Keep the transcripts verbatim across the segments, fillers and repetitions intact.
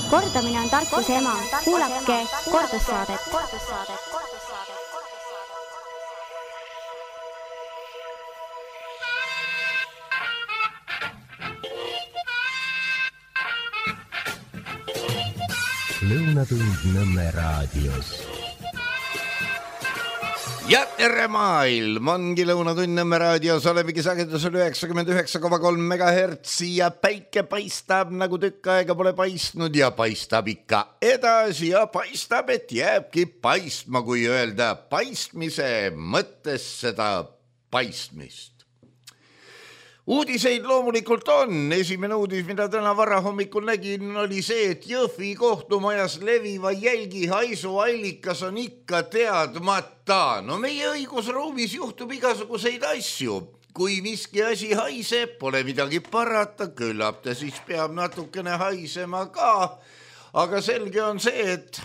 Kordamine on tarkuse ema. Kuulake kordussaadet. Lõunatund Nõmme raadios. Ja tere maailm, ongi Lõunatund Nõmme raadios, olemegi sagedusel üheksakümmend üheksa koma kolm megahertsi ja päike paistab nagu tükk aega pole paistnud ja paistab ikka edasi ja paistab, et jääbki paistma, kui öelda paistmise mõttes seda paistmist. Uudiseid loomulikult on. Esimene uudis, mida täna varahommikul nägin, oli see, et Jõhvi kohtumajas leviva jälgi haisu allikas on ikka teadmata. No meie õigusruumis juhtub igasuguseid asju. Kui miski asi haiseb, pole midagi parata, küllap ta siis peab natukene haisema ka. Aga selge on see, et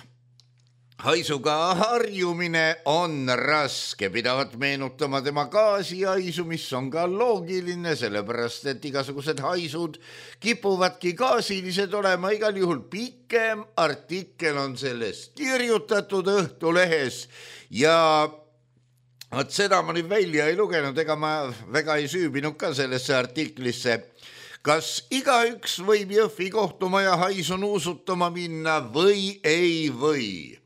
haisuga harjumine on raske, pidavat meenutama tema gaasihaisu, mis on ka loogiline, sellepärast et igasugused haisud kipuvadki gaasilised olema. Igal juhul pikem artikkel on sellest kirjutatud Õhtulehes ja et seda ma nüüd välja ei lugenud, ega ma väga ei süübinud ka sellesse artiklisse. Kas igaüks võib Jõhvi kohtumaja haisu nuusutama minna või ei või?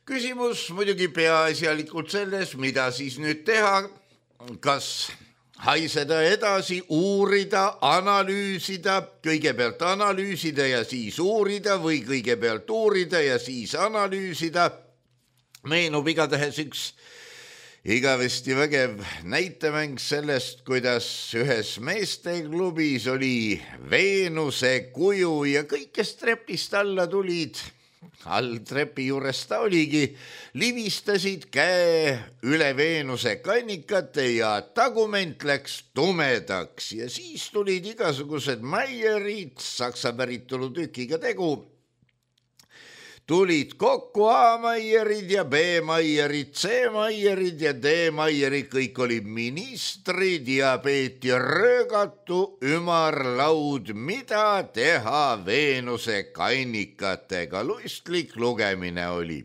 Küsimus muidugi peaasjalikult selles, mida siis nüüd teha, kas haiseda edasi, uurida, analüüsida, kõigepealt analüüsida ja siis uurida või kõigepealt uurida ja siis analüüsida. Meenub igatahes üks igavesti vägev näitemäng sellest, kuidas ühes meesteklubis oli Veenuse kuju ja kõik, kes trepist alla tulid, all trepi juures ta oligi, livistasid käe üle Veenuse kannikate ja tagument läks tumedaks ja siis tulid igasugused Meierid, saksa päritolu tükiga tegu. Tulid kokku A Meierid ja B Meierid, C Meierid ja D Meierid, kõik olid ministrid ja peeti röögatu ümarlaud, mida teha Veenuse kannikatega. Luistlik lugemine oli.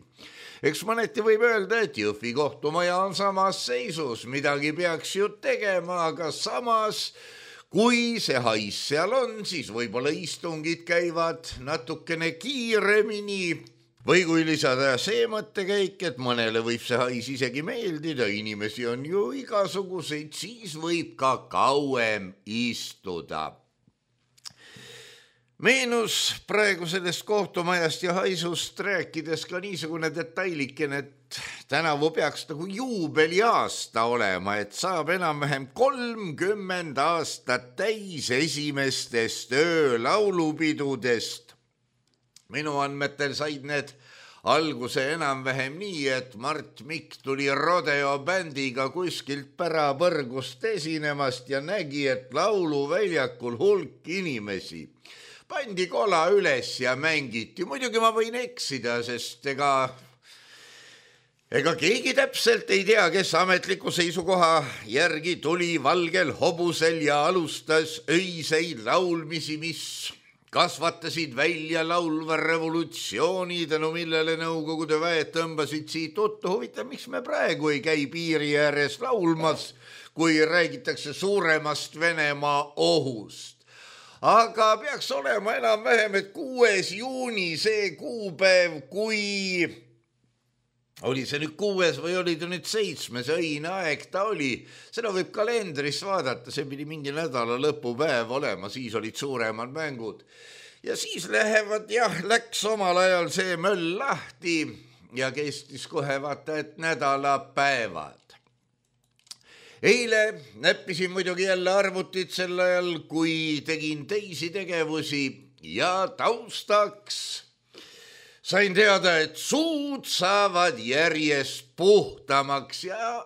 Eks mõneti võib öelda, et Jõhvi kohtumaja on samas seisus, midagi peaks ju tegema, aga samas kui see hais seal on, siis võib-olla istungid käivad natukene kiiremini või kui lisada see mõttekäik, et mõnele võib see hais isegi meeldida, inimesi on ju igasuguseid, siis võib ka kauem istuda. Meenus praegu sellest kohtumajast ja haisust rääkides ka niisugune detailikene, et tänavu peaks nagu juubeliaasta olema, et saab enam-vähem kolmkümmend aastat täis esimestest öölaulupidudest. Minu andmetel said need alguse enam-vähem nii, et Mart Mikk tuli rodeo bändiga kuskilt pärapõrgust esinemast ja nägi, et lauluväljakul hulk inimesi. Pandi kola üles ja mängiti. Muidugi ma võin eksida, sest ega, ega keegi täpselt ei tea, kes ametliku seisukoha järgi tuli valgel hobusel ja alustas öiseid laulmisi, mis kasvatasid välja laulva revolutsiooni, tänu millele Nõukogude väed tõmbasid siit tuttu. Huvitav, miks me praegu ei käi piiri ääres laulmas, kui räägitakse suuremast Venemaa ohust. Aga peaks olema enam-vähem, et kuues juuni see kuupäev, kui oli see nüüd kuues või oli ta nüüd seitsmes, õine aeg ta oli. Seda võib kalendris vaadata, see pidi mingi nädala lõpupäev olema, siis olid suuremad mängud. Ja siis lähevad, jah, läks omal ajal see möll lahti ja kestis kohe vaata, et nädalapäevad. Eile näppisin muidugi jälle arvutit sel ajal, kui tegin teisi tegevusi ja taustaks sain teada, et suud saavad järjest puhtamaks ja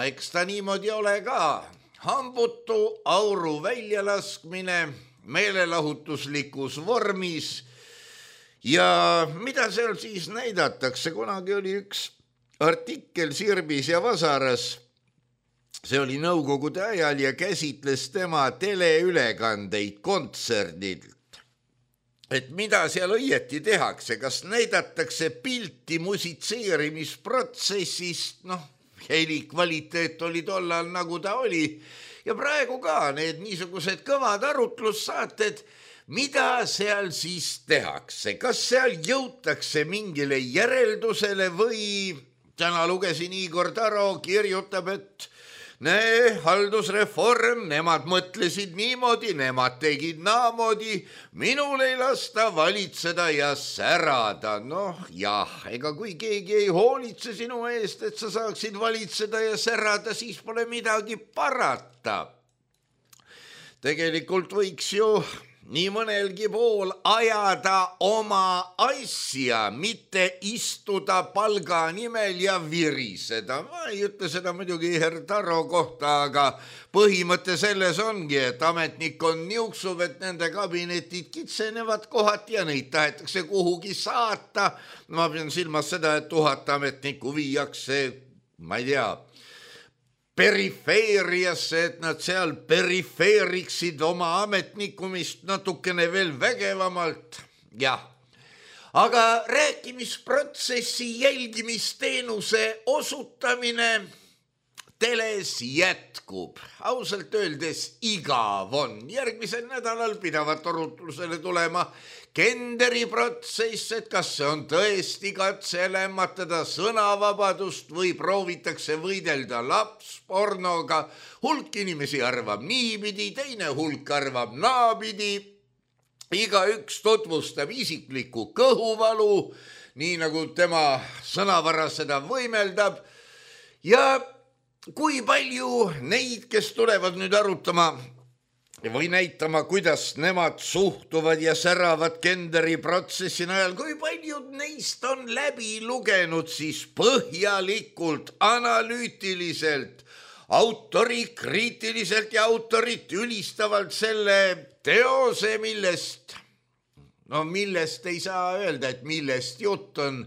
eks ta niimoodi ole ka. Hambutu auru väljalaskmine meelelahutuslikus vormis ja mida seal siis näidatakse, kunagi oli üks artikkel Sirbis ja Vasaras. See oli Nõukogude ajal ja käsitles tema teleülekandeid kontserdilt. et mida seal õieti tehakse, kas näidatakse pilti musitseerimisprotsessist, noh, heli kvaliteet oli tollal nagu ta oli ja praegu ka need niisugused kõvad arutlussaated, mida seal siis tehakse, kas seal jõutakse mingile järeldusele või täna lugesin Igor Taro kirjutab, et nee, haldusreform, nemad mõtlesid niimoodi, nemad tegid naamoodi, minul ei lasta valitseda ja särada. Noh, jah, ega kui keegi ei hoolitse sinu eest, et sa saaksid valitseda ja särada, siis pole midagi parata. Tegelikult võiks ju nii mõnelgi pool ajada oma asja, mitte istuda palga nimel ja viriseda. Ma ei ütle seda muidugi Herr Taro kohta, aga põhimõte selles ongi, et ametnik on niuksub, et nende kabinetid kitsenevad kohati ja neid tahetakse kuhugi saata. Ma pean silmas seda, et tuhat ametnikku viiakse, ma ei tea, perifeeriasse, et nad seal perifeeriksid oma ametnikumist natukene veel vägevamalt. Jah, aga rääkimisprotsessi jälgimisteenuse osutamine teles jätkub. Ausalt öeldes igav on. Järgmisel nädalal pidavat arutlusele tulema Kenderi protsess, et kas see on tõesti katse lämmatada sõnavabadust või proovitakse võidelda lapspornoga. Hulk inimesi arvab niipidi, teine hulk arvab naapidi. Igaüks tutvustab isiklikku kõhuvalu, nii nagu tema sõnavara seda võimeldab. Ja kui palju neid, kes tulevad nüüd arutama või näitama, kuidas nemad suhtuvad ja säravad Kenderi protsessi najal, kui paljud neist on läbi lugenud siis põhjalikult, analüütiliselt, autorikriitiliselt ja autorit ülistavalt selle teose, millest, no millest ei saa öelda, et millest jutt on,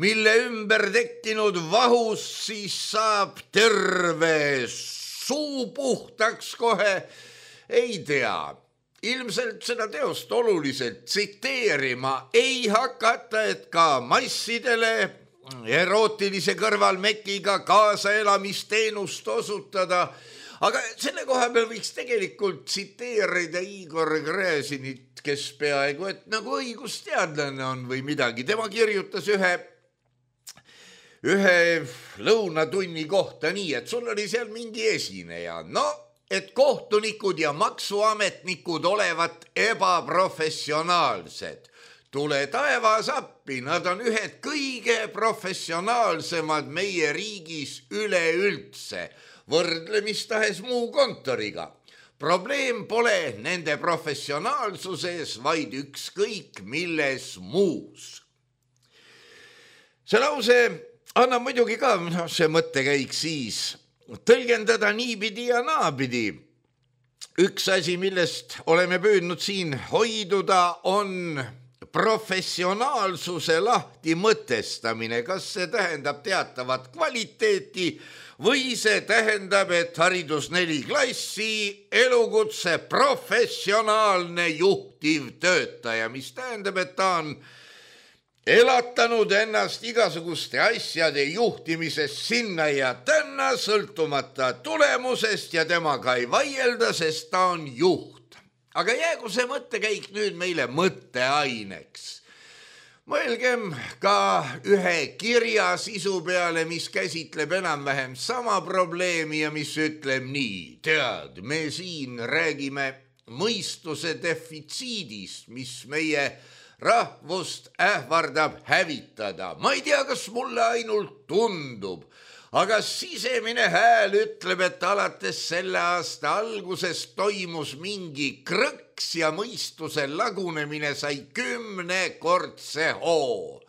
mille ümber tekkinud vahus siis saab terve suu puhtaks kohe. Ei tea, ilmselt seda teost oluliselt tsiteerima ei hakata, et ka massidele erootilise kõrvalmekiga kaasaelamisteenust osutada. Aga selle koha peal võiks tegelikult tsiteerida Igor Gräzinit, kes peaaegu, et nagu õigusteadlane on või midagi. Tema kirjutas ühe, ühe lõunatunni kohta nii, et sul oli seal mingi esineja. No, et kohtunikud ja maksuametnikud olevat ebaprofessionaalsed. Tule taevas appi, nad on ühed kõige professionaalsemad meie riigis üleüldse, võrdlemistahes muu kontoriga. Probleem pole nende professionaalsuses, vaid ükskõik milles muus. See lause annab muidugi ka see mõttekäik siis tõlgendada niipidi ja naapidi. Üks asi, millest oleme püüdnud siin hoiduda, on professionaalsuse lahti mõtestamine. Kas see tähendab teatavat kvaliteeti või see tähendab, et haridus neli klassi, elukutse professionaalne juhtiv töötaja, mis tähendab, et ta on elatanud ennast igasuguste asjade juhtimises sinna ja tänna sõltumata tulemusest ja temaga ei vaielda, sest ta on juht. Aga jäägu see mõttekäik nüüd meile mõtteaineks. Mõelgem ka ühe kirja sisu peale, mis käsitleb enam-vähem sama probleemi ja mis ütleb nii. Tead, me siin räägime mõistuse defitsiidist, mis meie rahvust ähvardab hävitada. Ma ei tea, kas mulle ainult tundub, aga sisemine hääl ütleb, et alates selle aasta alguses toimus mingi krõks ja mõistuse lagunemine sai kümnekordse hoo.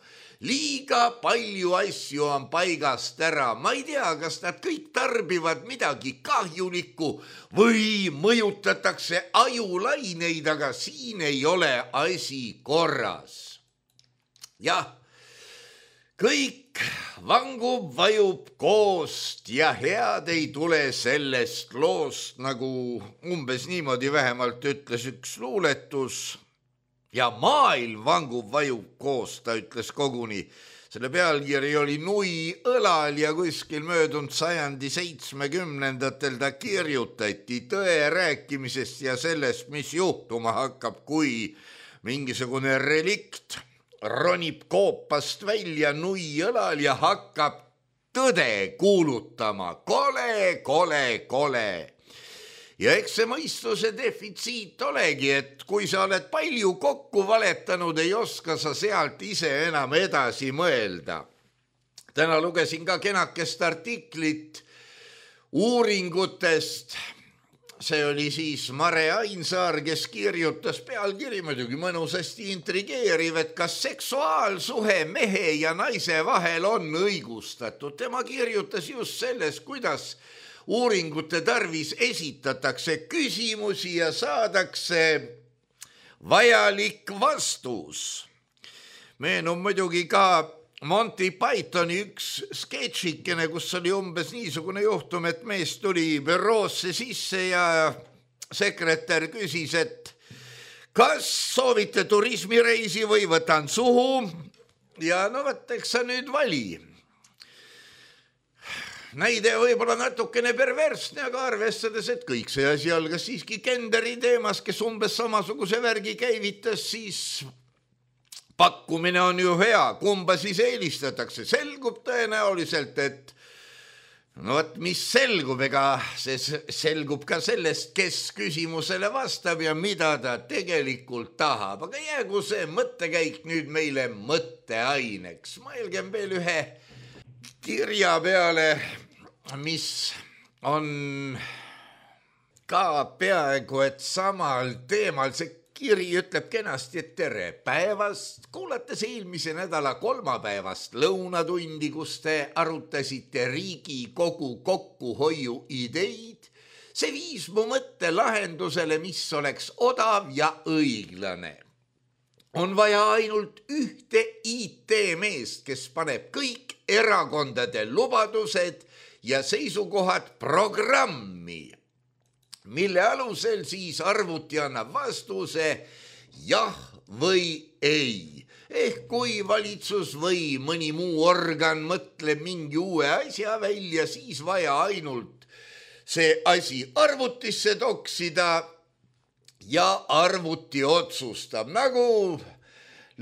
Liiga palju asju on paigast ära. Ma ei tea, kas nad kõik tarbivad midagi kahjulikku või mõjutatakse ajulaineid, aga siin ei ole asi korras. Jah, kõik vangub, vajub koost ja head ei tule sellest loost, nagu umbes niimoodi vähemalt ütles üks luuletus. ja maailm vangub, vajub koos, ta ütles koguni. Selle pealkiri oli Nui õlal ja kuskil möödunud sajandi seitsmekümnendatel ta kirjutati tõe rääkimisest ja sellest, mis juhtuma hakkab, kui mingisugune relikt ronib koopast välja Nui õlal ja hakkab tõde kuulutama. Kole, kole, kole. Ja eks see mõistuse defitsiit olegi, et kui sa oled palju kokku valetanud, ei oska sa sealt ise enam edasi mõelda. Täna lugesin ka kenakest artiklit uuringutest. See oli siis Mare Ainsaar, kes kirjutas pealkiri muidugi mõnusasti intrigeeriv, et kas seksuaalsuhe mehe ja naise vahel on õigustatud. Tema kirjutas just sellest, kuidas uuringute tarvis esitatakse küsimusi ja saadakse vajalik vastus. Meenub muidugi ka Monty Pythoni üks sketšikene, kus oli umbes niisugune juhtum, et mees tuli büroosse sisse ja sekretär küsis, et kas soovite turismireisi või võtan suhu ja no võtaks sa nüüd vali. Näide võib-olla natukene perversne, aga arvestades, et kõik see asi algas siiski Kenderi teemas, kes umbes samasuguse värgi käivitas, siis pakkumine on ju hea, kumba siis eelistatakse. Selgub tõenäoliselt, et no võt, mis selgub, ega see selgub ka sellest, kes küsimusele vastab ja mida ta tegelikult tahab. Aga jäägu see mõttekäik nüüd meile mõtteaineks. Mõelgem veel ühe kirja peale, mis on ka peaaegu et samal teemal. See kiri ütleb kenasti, et tere päevast. Kuulates eelmise nädala kolmapäevast lõunatundi, kus te arutasite Riigikogu kokkuhoiu ideid, see viis mu mõtte lahendusele, mis oleks odav ja õiglane. On vaja ainult ühte I T-meest, kes paneb kõik erakondade lubadused ja seisukohad programmi, mille alusel siis arvuti annab vastuse jah või ei. Ehk kui valitsus või mõni muu organ mõtleb mingi uue asja välja, siis vaja ainult see asi arvutisse toksida ja arvuti otsustab, nagu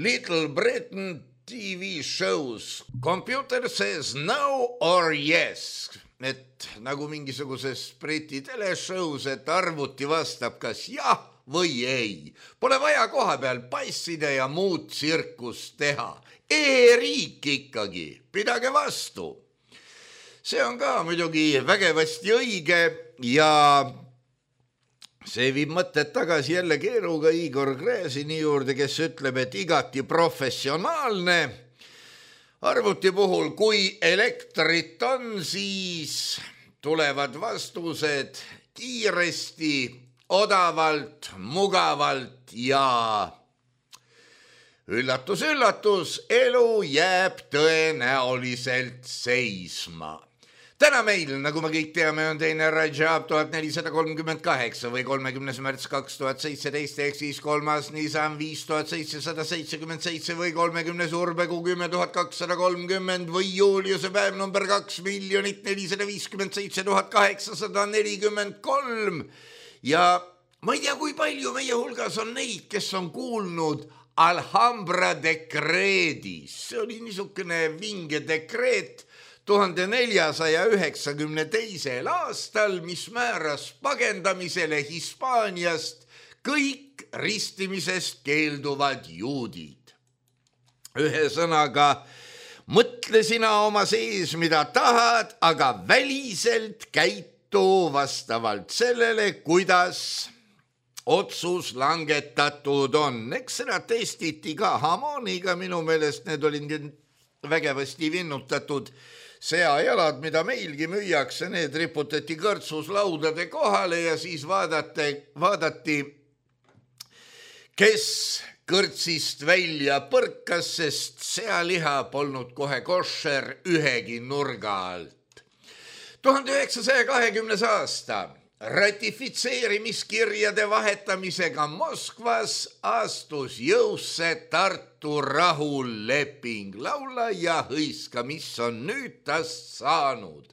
Little Britain T V shows. Computer says no or yes. Et nagu mingisuguses Briti teleshows, et arvuti vastab kas jah või ei. Pole vaja koha peal passida ja muud tsirkust teha. E-riik ikkagi, pidage vastu. See on ka muidugi vägevasti õige ja see viib mõtted tagasi jälle keeruga Igor Gräzini juurde, kes ütleb, et igati professionaalne. Arvuti puhul, kui elektrit on, siis tulevad vastused kiiresti, odavalt, mugavalt ja üllatus, üllatus, elu jääb tõenäoliselt seisma. Täna meil, nagu me kõik teame, on teine Rajab tuhat nelisada kolmkümmend kaheksa või kolmekümnes märts kaks tuhat seitseteist, ehk siis kolmas Nisan viis tuhat seitsesada seitsekümmend seitse või kolmekümnes Urbegu kümme tuhat kakssada kolmkümmend või Juliuse päev number kaks miljonit nelisada viiskümmend seitse tuhat kaheksasada nelikümmend kolm. Ja ma ei tea, kui palju meie hulgas on neid, kes on kuulnud Alhambra dekreedist. See oli niisugune vinge dekreet tuhande neljasaja üheksakümne teisel aastal, mis määras pagendamisele Hispaaniast kõik ristimisest keelduvad juudid. Ühesõnaga, mõtle sina oma sees, mida tahad, aga väliselt käitu vastavalt sellele, kuidas otsus langetatud on. Eks seda testiti ka Hamoniga, minu meelest need olid vägevasti vinnutatud seajalad, mida meilgi müüakse, need riputati kõrtsuslaudade kohale ja siis vaadati, vaadati, kes kõrtsist välja põrkas, sest sealiha polnud kohe koššer ühegi nurga alt. tuhande üheksasaja kahekümnes aasta ratifitseerimiskirjade vahetamisega Moskvas astus jõusse Tartu rahuleping. Laula ja hõiska, mis on nüüd tast saanud.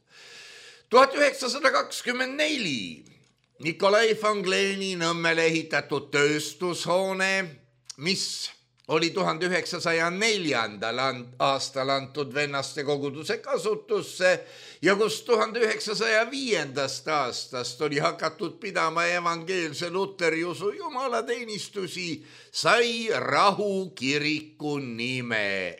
tuhat üheksasada kakskümmend neli Nikolai von Gleni Nõmmele ehitatud tööstushoone, mis oli tuhande üheksasaja neljandal aastal antud vennaste koguduse kasutusse ja kus tuhande üheksasaja viiendast aastast oli hakatud pidama evangeelse luteriusu jumalateenistusi, sai rahukiriku nime.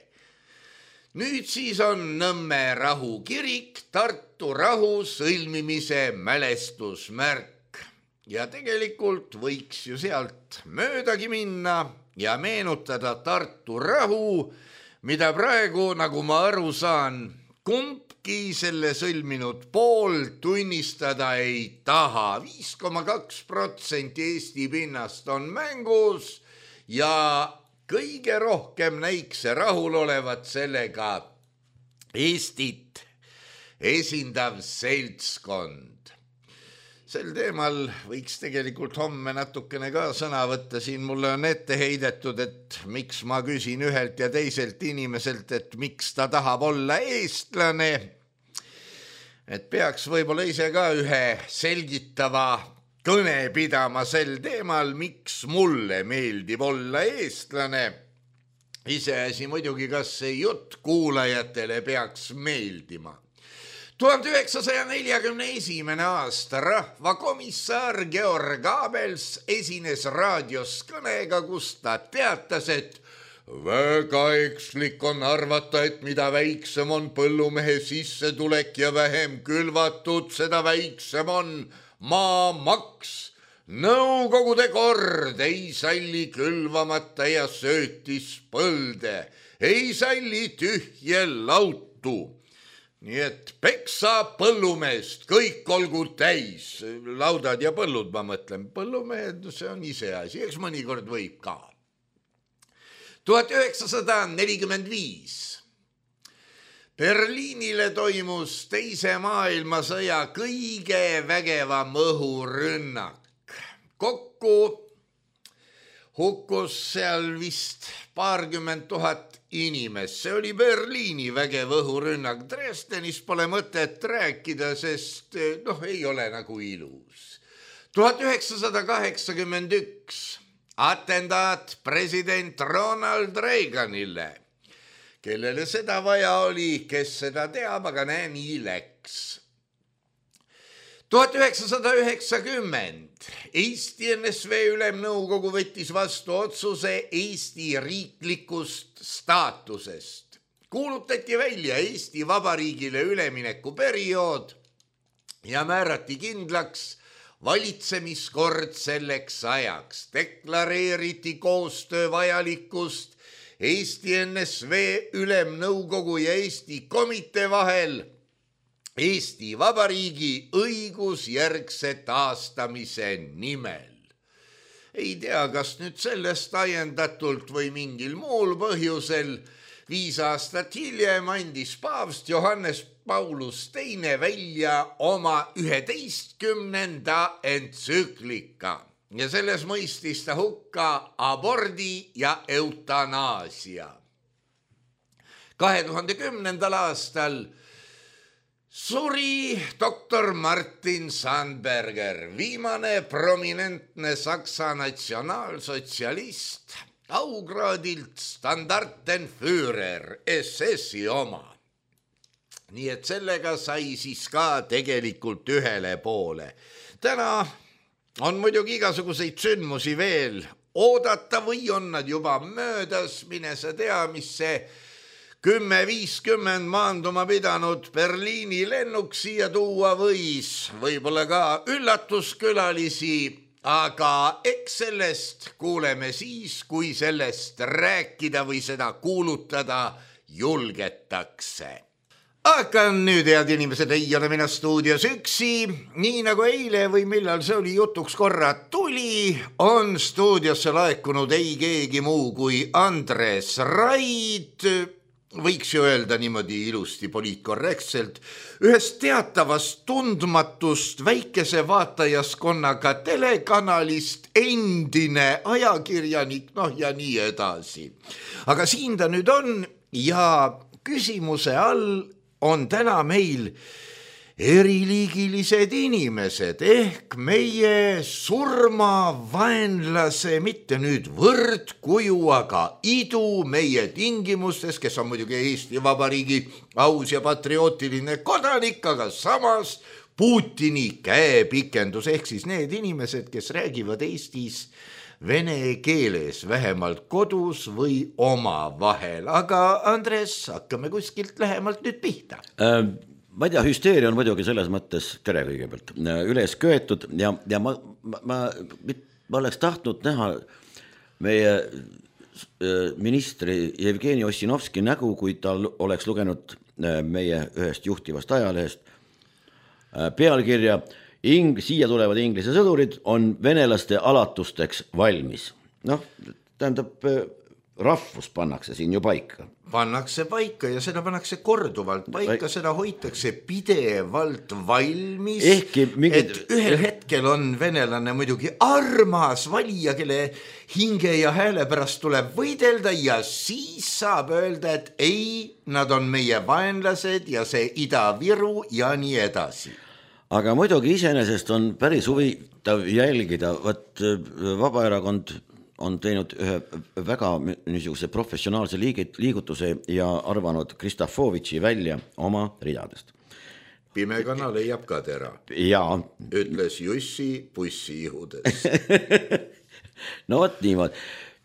Nüüd siis on Nõmme rahukirik Tartu rahu sõlmimise mälestusmärk ja tegelikult võiks ju sealt möödagi minna ja meenutada Tartu rahu, mida praegu, nagu ma aru saan, kumbki selle sõlminud pool tunnistada ei taha. viis koma kaks protsenti Eesti pinnast on mängus ja kõige rohkem näiks rahul olevat sellega Eestit esindav seltskond. Sel teemal võiks tegelikult homme natukene ka sõna võtta. Siin mulle on ette heidetud, et miks ma küsin ühelt ja teiselt inimeselt, et miks ta tahab olla eestlane. Et peaks võib-olla ise ka ühe selgitava kõne pidama sel teemal, miks mulle meeldib olla eestlane. Iseasi muidugi, kas see jutt kuulajatele peaks meeldima. tuhande üheksasaja neljakümne esimene aasta rahvakomissar Georg Abels esines raadios kõnega, kus ta teatas, et väga ekslik on arvata, et mida väiksem on põllumehe sissetulek ja vähem külvatud, seda väiksem on maamaks. Nõukogude kord ei salli külvamata ja söötis põlde, ei salli tühje lautu. Nii et peksa põllumeest, kõik olgu täis, laudad ja põllud, ma mõtlen, põllumehed, see on iseasi, eks mõnikord võib ka. tuhat üheksasada nelikümmend viis Berliinile toimus teise maailmasõja kõige vägevam õhurünnak. Kokku hukkus seal vist paarkümmend tuhat inimest. See oli Berliini vägev õhurünnak. Dresdenis pole mõtet rääkida, sest noh, ei ole nagu ilus. tuhat üheksasada kaheksakümmend üks atendaat president Ronald Reaganile, kellele seda vaja oli, kes seda teab, aga näe, nii läks. tuhat üheksasada üheksakümmend Eesti N S V Ülemnõukogu võttis vastu otsuse Eesti riiklikust staatusest. Kuulutati välja Eesti Vabariigile üleminekuperiood ja määrati kindlaks valitsemiskord selleks ajaks. Deklareeriti koostöö vajalikkust Eesti N S V Ülemnõukogu ja Eesti komitee vahel Eesti Vabariigi õigusjärgse taastamise nimel. Ei tea, kas nüüd sellest ajendatult või mingil muul põhjusel viis aastat hiljem andis paavst Johannes Paulus teine välja oma üheteistkümnenda entsüklika ja selles mõistis ta hukka abordi ja eutanaasia. kahe tuhande kümnendal aastal suri doktor Martin Sandberger, viimane prominentne Saksa natsionaalsotsialist, augraadilt Standartenführer, S S-i oma. Nii et sellega sai siis ka tegelikult ühele poole. Täna on muidugi igasuguseid sündmusi veel oodata või on nad juba möödas, mine sa tea, mis see kümme viiskümmend maanduma pidanud Berliini lennuk siia tuua võis, võib-olla ka üllatuskülalisi, aga eks sellest kuuleme siis, kui sellest rääkida või seda kuulutada julgetakse. Aga nüüd, head inimesed, ei ole mina stuudios üksi, nii nagu eile või millal see oli jutuks korra tuli, on stuudiosse laekunud ei keegi muu kui Andres Raid võiks ju öelda niimoodi ilusti poliitkorrektselt, ühest teatavast tundmatust väikese vaatajaskonnaga telekanalist endine ajakirjanik, noh ja nii edasi. Aga siin ta nüüd on ja küsimuse all on täna meil eriliigilised inimesed ehk meie surmavaenlase, mitte nüüd võrdkuju, aga idu meie tingimustes, kes on muidugi Eesti Vabariigi aus ja patriootiline kodanik, aga samas Putini käepikendus ehk siis need inimesed, kes räägivad Eestis vene keeles, vähemalt kodus või omavahel. Aga Andres, hakkame kuskilt lähemalt nüüd pihta. Ähm. Ma ei tea, hüsteeria on muidugi selles mõttes, tere kõigepealt, üles köetud ja, ja ma, ma, ma, ma oleks tahtnud näha meie ministri Jevgeni Ossinovski nägu, kui ta oleks lugenud meie ühest juhtivast ajalehest pealkirja Ing, siia tulevad inglise sõdurid on venelaste alatusteks valmis. Noh, tähendab, rahvus pannakse siin ju paika. Pannakse paika ja seda pannakse korduvalt paika, seda hoitakse pidevalt valmis, mingid... et ühel hetkel on venelane muidugi armas valija, kelle hinge ja hääle pärast tuleb võidelda ja siis saab öelda, et ei, nad on meie vaenlased ja see Ida-Viru ja nii edasi. Aga muidugi iseenesest on päris huvitav jälgida, võt Vabaerakond on teinud ühe väga niisuguse professionaalse liigutuse ja arvanud Kristafovitši välja oma ridadest. Pime kana leiab ka tera. Jaa. Ütles Jussi pussi ihudes. No võt niimoodi.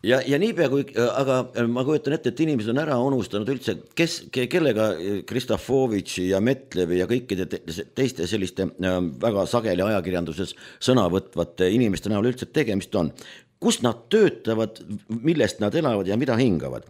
Ja, ja niipea kui, aga ma kujutan ette, et inimesed on ära unustanud üldse, kes, kellega Kristafovitši ja Metlevi ja kõikide teiste selliste väga sageli ajakirjanduses sõna võtvate inimeste näol üldse tegemist on. Kus nad töötavad, millest nad elavad ja mida hingavad.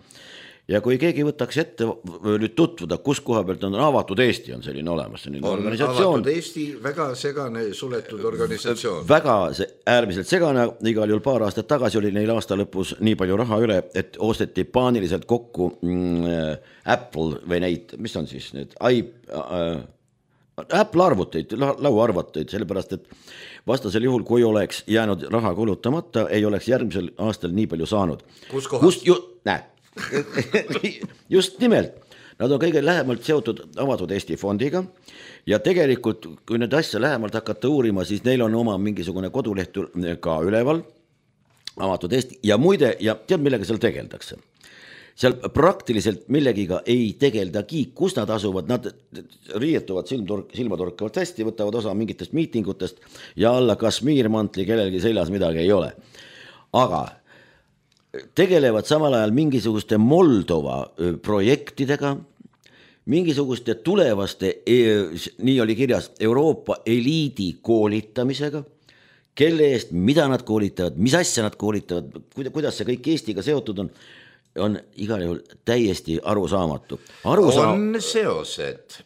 Ja kui keegi võtaks ette nüüd tutvuda, kus koha pealt on avatud Eesti, on selline olemas, selline on organisatsioon. Avatud Eesti, väga segane suletud organisatsioon. Väga see, äärmiselt segane, igal juhul paar aastat tagasi oli neil aasta lõpus nii palju raha üle, et osteti paaniliselt kokku mm, Apple või neid, mis on siis need I, äh, Apple arvuteid, lauaarvuteid, sellepärast, et vastasel juhul, kui oleks jäänud raha kulutamata, ei oleks järgmisel aastal nii palju saanud. Kus kohas? Ju, näe, just nimelt. Nad on kõige lähemalt seotud avatud Eesti fondiga ja tegelikult, kui need asja lähemalt hakata uurima, siis neil on oma mingisugune koduleht ka üleval, avatud Eesti ja muide, ja tead, millega seal tegeldakse? Seal praktiliselt millegiga ei tegeldagi, kus nad asuvad, nad riietuvad silmatorkavalt hästi, võtavad osa mingitest miitingutest ja alla Kashmir-mantli kellelgi seljas midagi ei ole. Aga tegelevad samal ajal mingisuguste Moldova projektidega, mingisuguste tulevaste, nii oli kirjas, Euroopa eliidi koolitamisega, kelle eest, mida nad koolitavad, mis asja nad koolitavad, kuidas see kõik Eestiga seotud on, on igal juhul täiesti arusaamatu. Arusaam... On seosed.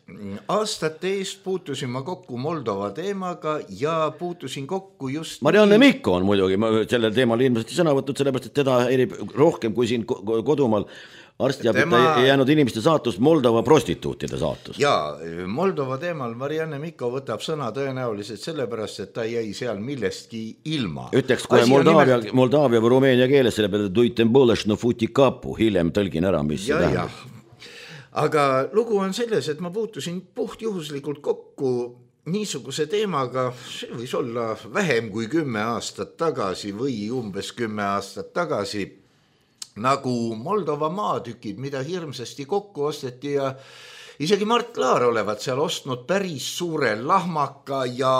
Aastate eest puutusin ma kokku Moldova teemaga ja puutusin kokku just... Marianne Mikko on muidugi sellel teemal ilmselt sõna võtnud, sellepärast, et teda erib rohkem kui siin kodumaal arstiabita Tema... ei jäänud inimeste saatust, Moldova prostituutide saatust. Jaa, Moldova teemal Marianne Mikko võtab sõna tõenäoliselt sellepärast, et ta jäi seal millestki ilma. Ütleks kohe Moldaavia, nimelt... Moldaavia või Rumeenia keeles, selle peale tuiten põlešno futikapu, hiljem tõlgin ära, mis ja, see tähendab. Aga lugu on selles, et ma puutusin puhtjuhuslikult kokku niisuguse teemaga, see võis olla vähem kui kümme aastat tagasi või umbes kümme aastat tagasi, nagu Moldova maatükid, mida hirmsasti kokku osteti ja isegi Mart Laar olevat seal ostnud päris suure lahmaka ja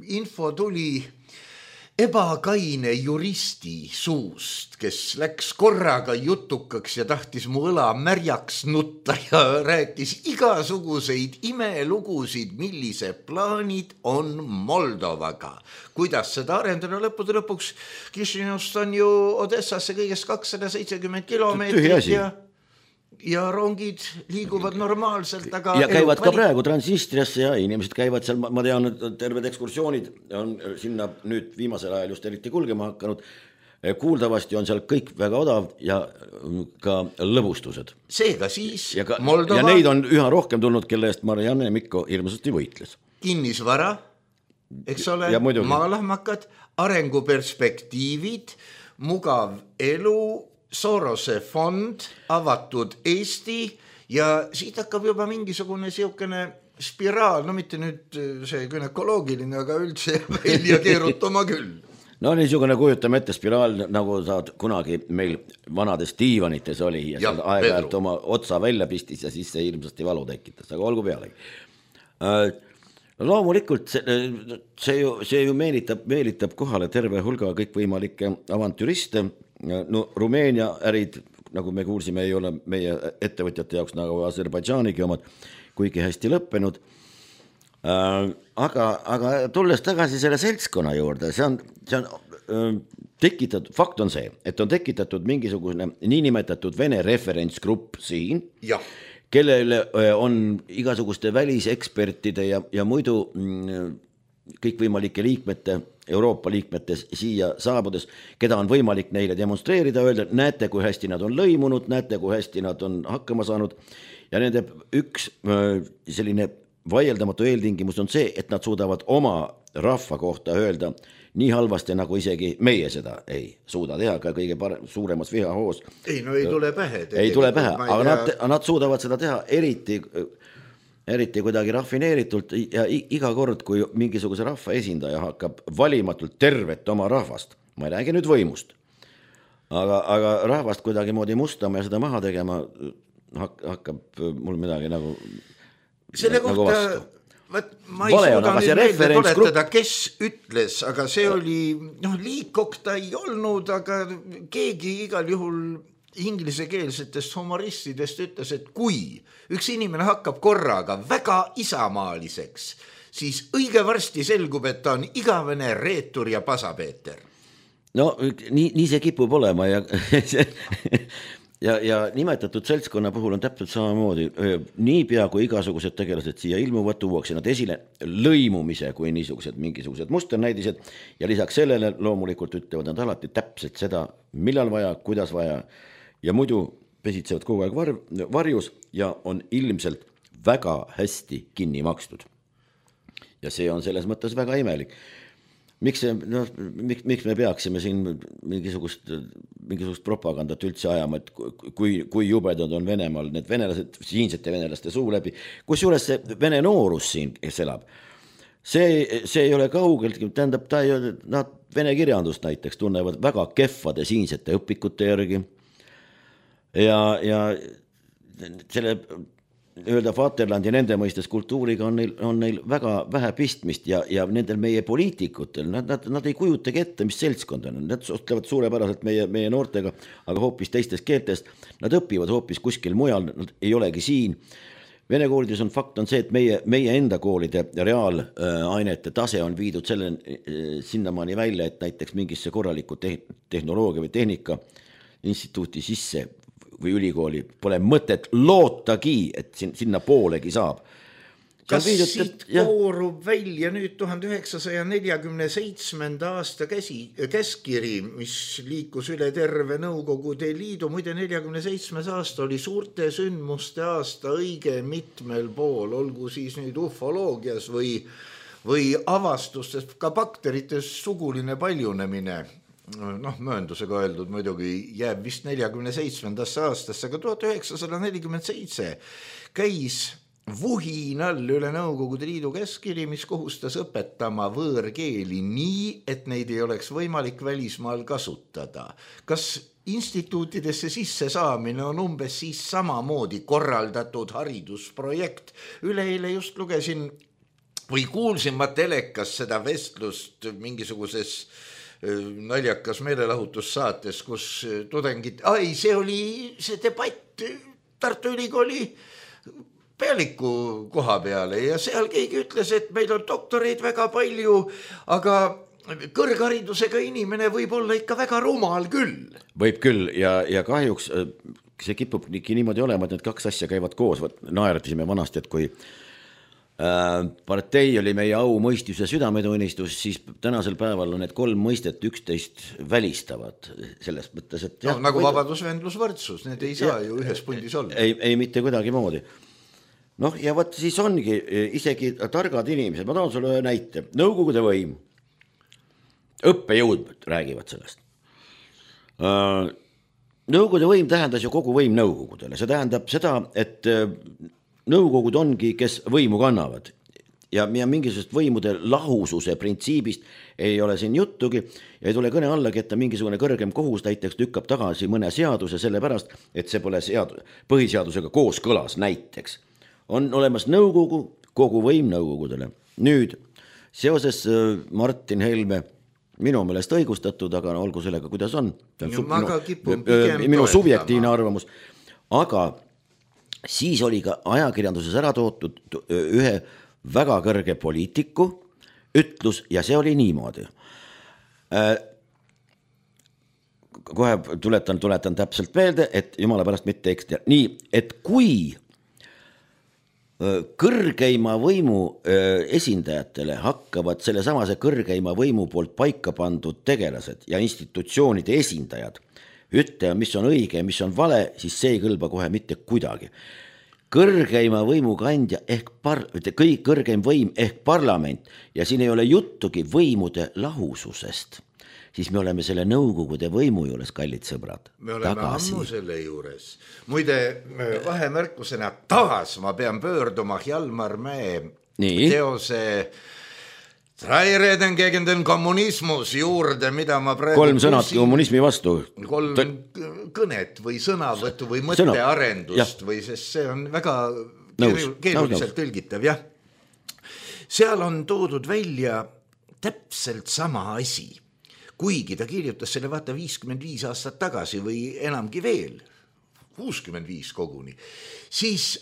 info tuli ebakaine juristi suust, kes läks korraga jutukaks ja tahtis mu õla märjaks nutta ja rääkis igasuguseid imelugusid, millised plaanid on Moldovaga. Kuidas seda arendada lõppude lõpuks? Kišinovst on ju Odessasse kõigest kakssada seitsekümmend kilomeetrit ja, ja rongid liiguvad normaalselt. Aga ja käivad ka praegu Transnistriasse ja inimesed käivad seal, ma tean, terved ekskursioonid on sinna nüüd viimasel ajal just eriti kulgema hakanud. kuuldavasti on seal kõik väga odav ja ka lõbustused. Seega siis ja, ka, Moldova... ja neid on üha rohkem tulnud, kelle eest Marianne Mikko hirmsasti võitles. Kinnisvara, eks ole, maalahmakad, arenguperspektiivid, mugav elu, Sorose fond, avatud Eesti ja siit hakkab juba mingisugune siukene spiraal, no mitte nüüd see günekoloogiline, aga üldse välja keerutama küll. No niisugune kujutame ette spiraal, nagu saad kunagi meil vanades diivanites oli ja, ja aeg-ajalt oma otsa välja pistis ja siis see hirmsasti valu tekitas, aga olgu pealegi. Loomulikult see, see, ju, see ju meelitab, meelitab kohale terve hulga kõikvõimalikke avantüriste. No Rumeenia ärid, nagu me kuulsime, ei ole meie ettevõtjate jaoks nagu Aserbaidžaanigi omad kuigi hästi lõppenud. Aga, aga tulles tagasi selle seltskonna juurde, see on, see on tekitatud, fakt on see, et on tekitatud mingisugune niinimetatud Vene referentsgrupp siin, ja. Kellele on igasuguste välisekspertide ja, ja muidu kõikvõimalike liikmete, Euroopa liikmetes siia saabudes, keda on võimalik neile demonstreerida, öelda, näete, kui hästi nad on lõimunud, näete, kui hästi nad on hakkama saanud ja nende üks selline vaieldamatu eeltingimus on see, et nad suudavad oma rahva kohta öelda nii halvasti, nagu isegi meie seda ei suuda teha ka kõige parem, suuremas vihahoos. Ei, no ei tule pähe. Ei tule pähe, aga nad, nad suudavad seda teha eriti, eriti kuidagi rafineeritult ja iga kord, kui mingisuguse rahva esindaja hakkab valimatult tervet oma rahvast, ma ei räägi nüüd võimust, aga, aga rahvast kuidagi moodi mustama ja seda maha tegema hakkab mul midagi nagu selle nagu kohta vastu. Võt, ma ei Vale suuda on, nüüd meelde tuletada, kes ütles, aga see oli, noh, liikok ta ei olnud, aga keegi igal juhul inglisekeelsetest humoristidest ütles, et kui üks inimene hakkab korraga väga isamaaliseks, siis õige varsti selgub, et ta on igavene reetur ja pasapeeter. No nii, nii see kipub olema ja Ja, ja nimetatud seltskonna puhul on täpselt samamoodi, niipea kui igasugused tegelased siia ilmuvad, tuuakse nad esile lõimumise kui niisugused mingisugused musternäidised ja lisaks sellele loomulikult ütlevad nad alati täpselt seda, millal vaja, kuidas vaja ja muidu pesitsevad kogu aeg var, varjus ja on ilmselt väga hästi kinni makstud. Ja see on selles mõttes väga imelik. Miks, see, no, miks, miks me peaksime siin mingisugust, mingisugust propagandat üldse ajama, et kui, kui jubedad on Venemaal need venelased, siinsete venelaste suu läbi, kus juures see vene noorus siin, kes elab, see, see ei ole kaugelt, tähendab, ta ei ole, nad vene kirjandust näiteks tunnevad väga kehvade siinsete õpikute järgi ja, ja selle öelda Vaterlandi nende mõistes kultuuriga on neil, on neil väga vähe pistmist ja, ja nendel meie poliitikutel, nad, nad, nad ei kujutagi ette, mis seltskond on, nad suhtlevad suurepäraselt meie, meie noortega, aga hoopis teistest keeltest, nad õpivad hoopis kuskil mujal, nad ei olegi siin. Vene koolides on fakt on see, et meie, meie enda koolide reaalainete tase on viidud selle sinnamaani välja, et näiteks mingisse korraliku te- tehnoloogia või tehnika instituuti sisse või ülikooli pole mõtet lootagi, et sinna poolegi saab. Kas viidud, siit koorub välja nüüd tuhande üheksasaja neljakümne seitsmenda aasta käsi, käskiri, mis liikus üle terve Nõukogude Liidu, muide neljakümne seitsmes aasta oli suurte sündmuste aasta õige mitmel pool, olgu siis nüüd ufoloogias või, või avastustest, ka bakterites suguline paljunemine. Noh, mööndusega öeldud muidugi jääb vist neljakümne seitsmendasse aastasse, aga tuhat üheksasada nelikümmend seitse käis vuhinal üle Nõukogude Liidu käskiri, mis kohustas õpetama võõrkeeli nii, et neid ei oleks võimalik välismaal kasutada. Kas instituutidesse sisse saamine on umbes siis samamoodi korraldatud haridusprojekt? Üleeile just lugesin või kuulsin ma telekas seda vestlust mingisuguses naljakas meelelahutussaates, kus tudengid, ai, see oli see debatt Tartu Ülikooli pealiku koha peale ja seal keegi ütles, et meil on doktoreid väga palju, aga kõrgharidusega inimene võib olla ikka väga rumal küll. Võib küll ja, ja kahjuks see kipub niimoodi olema, et need kaks asja käivad koos, naeratisime vanasti, et kui partei oli meie au, mõistus ja südametunnistus, siis tänasel päeval on need kolm mõistet üksteist välistavad selles mõttes, et no, jah, nagu vabadus, vendlus, võrdsus, need ei saa ja, ju ühes pundis olla. Ei, ei mitte kuidagi moodi. Noh, ja võt siis ongi isegi targad inimesed, ma tahan sulle ühe näite, nõukogude võim, õppejõud räägivad sellest. Nõukogude võim tähendas ju kogu võim nõukogudele, see tähendab seda, et nõukogud ongi, kes võimu kannavad ja, ja mingisugust võimude lahususe printsiibist ei ole siin juttugi ja ei tule kõne allagi, et mingisugune kõrgem kohus näiteks lükkab tagasi mõne seaduse selle pärast, et see pole seadus, põhiseadusega kooskõlas näiteks. On olemas nõukogu, kogu võim nõukogudele. Nüüd seoses Martin Helme minu meelest õigustatud, aga olgu sellega, kuidas on. No, ma ka kipun pigem minu subjektiivne arvamus, aga siis oli ka ajakirjanduses ära tootud ühe väga kõrge poliitiku ütlus ja see oli niimoodi. Kohe tuletan, tuletan täpselt meelde, et jumala pärast mitte ekstra. Nii, et kui kõrgeima võimu esindajatele hakkavad selle samase kõrgeima võimu poolt paika pandud tegelased ja institutsioonide esindajad ütle, mis on õige ja mis on vale, siis see ei kõlba kohe mitte kuidagi. Kõrgeima võimu kandja ehk par, kõik kõrgeim võim ehk parlament ja siin ei ole juttugi võimude lahususest, siis me oleme selle nõukogude võimu juures, kallid sõbrad. Me oleme tagasi. Ammu selle juures. Muide, vahemärkusena taas ma pean pöörduma Hjalmar Mäe Nii. teose Drei Reden gegen den Kommunismus juurde, mida ma praegu kolm sõnad kusin, kommunismi vastu. Kolm T kõnet või sõnavõttu või mõttearendust või sest see on väga keeruliselt tõlgitav, jah. Seal on toodud välja täpselt sama asi, kuigi ta kirjutas selle vaata viiskümmend viis aastat tagasi või enamgi veel, kuuskümmend viis koguni, siis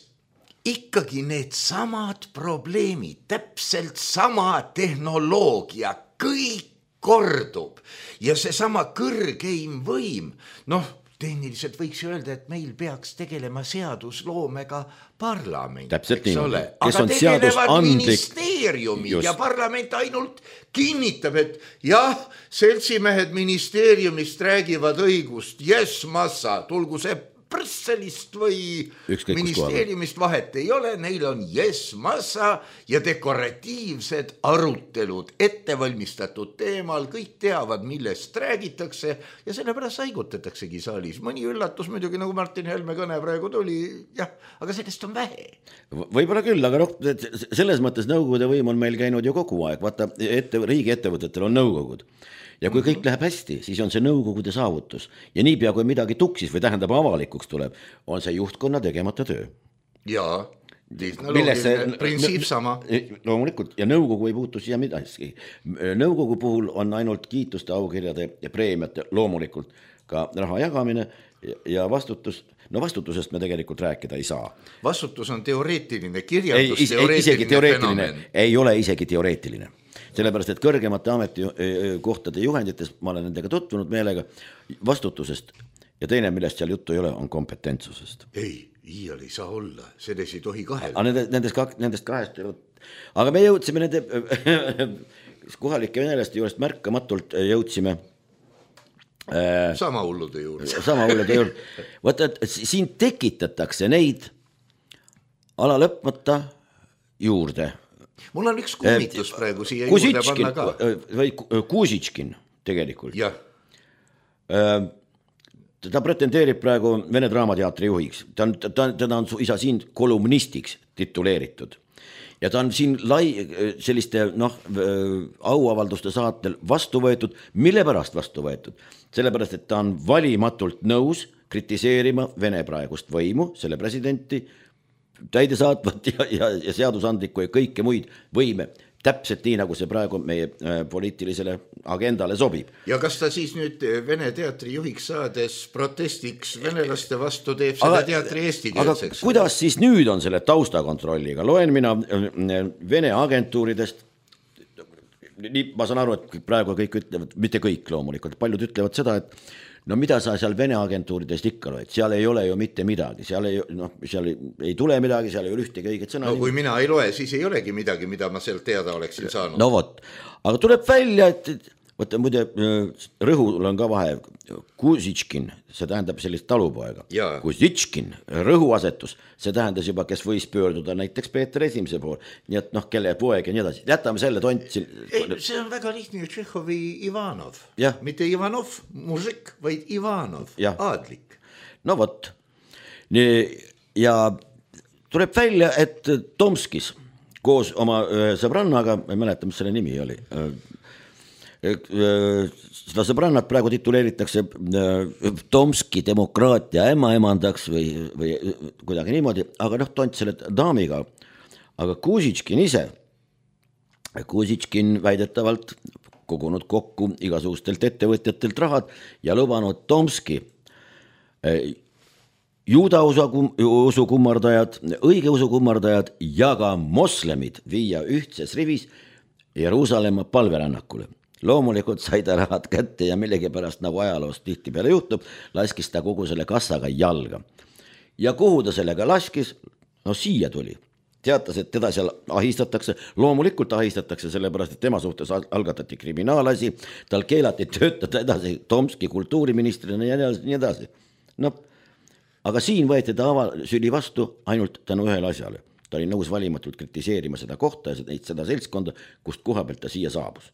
ikkagi need samad probleemid, täpselt sama tehnoloogia, kõik kordub ja see sama kõrgeim võim, noh, tehniliselt võiks öelda, et meil peaks tegelema seadusloomega parlament. Täpselt nii, kes on seadusandlik. Ministeeriumid Just. Ja parlament ainult kinnitab, et jah, seltsimehed ministeeriumist räägivad õigust, yes, massa, tulgu see Brüsselist või Ükskõik ministeeriumist vahet ei ole, neil on yes, massa ja dekoratiivsed arutelud ettevalmistatud teemal, kõik teavad, millest räägitakse ja sellepärast saigutataksegi saalis. Mõni üllatus muidugi, nagu Martin Helme kõne praegu tuli, jah, aga sellest on vähe. Võib-olla küll, aga noh, selles mõttes nõukogude võim on meil käinud ju kogu aeg, vaata, ette, riigi ettevõtetel on nõukogud. Ja kui kõik läheb hästi, siis on see nõukogude saavutus. Ja niipea, kui midagi tuksis või tähendab avalikuks tuleb, on see juhtkonna tegemata töö. Jaa, loogiline printsiip sama. Loomulikult, ja nõukogu ei puutu siia midagi. Nõukogu puhul on ainult kiituste, aukirjade ja preemiate loomulikult ka raha jagamine ja vastutus. No vastutusest me tegelikult rääkida ei saa. Vastutus on teoreetiline, kirjandus ei, teoreetiline, isegi teoreetiline fenomen. Ei ole isegi teoreetiline. Sellepärast, et kõrgemate ametikohtade juhendites, ma olen nendega tutvunud meelega, vastutusest ja teine, millest seal juttu ei ole, on kompetentsusest. Ei, iial ei saa olla, selles ei tohi kahel. Nendest, kak, nendest kahest, aga me jõudsime nende kohalike venelaste juurest märkamatult jõudsime äh, sama hullude juurde. Sama hullude juurde. Vaata, et siin tekitatakse neid ala lõpmata juurde. Mul on üks kummitus praegu siia juurde panna ka. Või Kuusitškin tegelikult. Jah. Ta pretendeerib praegu Vene Draamateatri juhiks. Ta on, ta, ta on isa siin kolumnistiks tituleeritud. Ja ta on siin lai, selliste noh, auavalduste saatel vastu võetud. Mille pärast vastu võetud? Sellepärast, et ta on valimatult nõus kritiseerima Vene praegust võimu, selle presidenti, täidesaatvat ja, ja, ja seadusandlikku ja kõike muid võime, täpselt nii, nagu see praegu meie poliitilisele agendale sobib. Ja kas ta siis nüüd Vene teatri juhiks saades protestiks venelaste vastu teeb seda aga, teatri eestikeelseks? Aga kuidas siis nüüd on selle taustakontrolliga? Loen mina Vene agentuuridest, nii, ma saan aru, et praegu kõik ütlevad, mitte kõik loomulikult, paljud ütlevad seda, et no mida sa seal Vene agentuuridest ikka loed, seal ei ole ju mitte midagi, seal ei, noh, seal ei, ei tule midagi, seal ei ole ühtegi õiget sõna. No kui mina ei loe, siis ei olegi midagi, mida ma sealt teada oleksin saanud. No vot, aga tuleb välja, et võtta muide, rõhul on ka vahe, Kuzitškin, see tähendab sellist talupoega, Kuzitškin, rõhuasetus, see tähendas juba, kes võis pöörduda näiteks Peeter Esimese pool, nii et noh, kelle poeg ja nii edasi, jätame selle tont siin. Ei, see on väga lihtne, Tšehhovi Ivanov, ja. mitte Ivanov, mužik, vaid Ivanov, ja. Aadlik. No vot, ja tuleb välja, et Tomskis koos oma sõbrannaga, ma ei mäleta, mis selle nimi oli, seda sõbrannat praegu tituleeritakse Tomski demokraatia ämmaemandaks või, või kuidagi niimoodi, aga noh, tont selle daamiga, aga Kuzitškin ise, Kuzitškin väidetavalt kogunud kokku igasugustelt ettevõtjatelt rahad ja lubanud Tomski juuda usu kummardajad, õigeusu kummardajad ja ka moslemid viia ühtses rivis Jeruusalemma palverännakule. Loomulikult sai ta rahad kätte ja millegipärast nagu ajaloost tihti peale juhtub, laskis ta kogu selle kassaga jalga. Ja kuhu ta sellega laskis? No siia tuli. Teatas, et teda seal ahistatakse, loomulikult ahistatakse, sellepärast, et tema suhtes algatati kriminaalasi, tal keelati töötada edasi Tomski kultuuriministrina ja nii edasi. No, aga siin võeti ta avasüli vastu ainult tänu ühele asjale. Ta oli nõus valimatult kritiseerima seda kohta ja seda seltskonda, kust koha pealt ta siia saabus.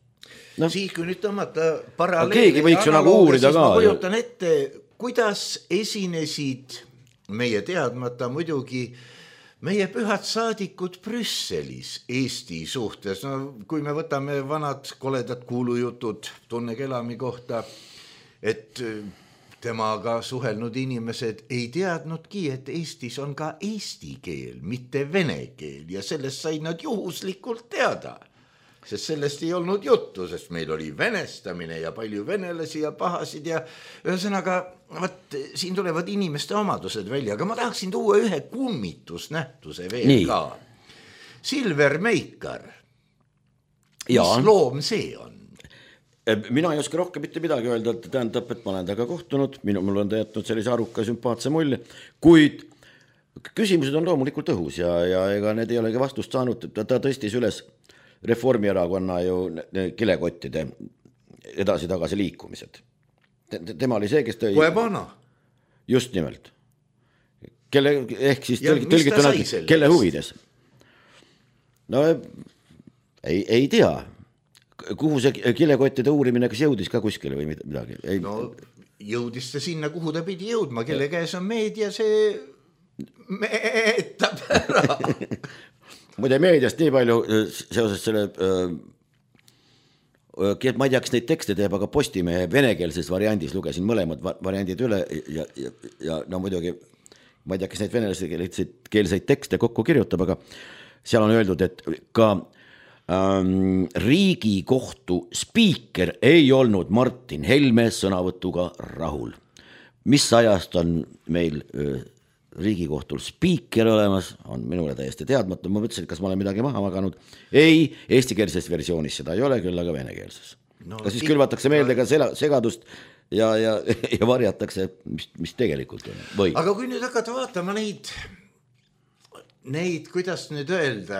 No. Siis kui nüüd tõmmata paralleeli, keegi võiks ju nagu uurida ka. Ma kujutan ette, kuidas esinesid meie teadmata muidugi meie pühad saadikud Brüsselis Eesti suhtes. No, kui me võtame vanad koledad kuulujutud Tunne Kelami kohta, et temaga suhelnud inimesed ei teadnudki, et Eestis on ka eesti keel, mitte vene keel ja sellest said nad juhuslikult teada. Sest sellest ei olnud juttu, sest meil oli venestamine ja palju venelasi ja pahasid ja ühesõnaga, võt, siin tulevad inimeste omadused välja, aga ma tahaksin tuua ühe kummitusnähtuse veel Nii. ka. Silver Meikar, mis ja. loom see on? Mina ei oska rohkem mitte midagi öelda, et tähendab, et ma olen taga kohtunud, minu, mul on teatud sellise aruka sümpaatse mulje, kuid küsimused on loomulikult õhus ja, ja ega need ei olegi vastust saanud, ta tõstis üles Reformierakonna ju kilekottide edasi-tagasi liikumised. Tema oli see, kes tõi... Koebana. Just nimelt. Kelle, ehk siis tõlgituna, kelle huvides? No ei, ei tea. Kuhu see kilekottide uurimine, kas jõudis ka kuskile või midagi? Ei... No jõudis ta sinna, kuhu ta pidi jõudma, kelle käes on meedia, see meetab ära. Muide meediast nii palju seoses selle, ma ei tea, kas neid tekste teeb, aga Postimehe venekeelses variandis lugesin mõlemad variandid üle ja, ja, ja no muidugi, ma ei tea, kas neid venekeelseid tekste kokku kirjutab, aga seal on öeldud, et ka ähm, Riigikohtu spiiker ei olnud Martin Helme sõnavõtuga rahul. Mis ajast on meil öö, Riigikohtul spiiker olemas, on minule täiesti teadmata, ma mõtlesin, kas ma olen midagi maha maganud. Ei, eestikeelses versioonis seda ei ole, küll aga venekeelses. No, kas siis külvatakse meelde ka segadust ja, ja, ja varjatakse, mis, mis tegelikult on? Või? Aga kui nüüd hakata vaatama neid, neid, kuidas nüüd öelda,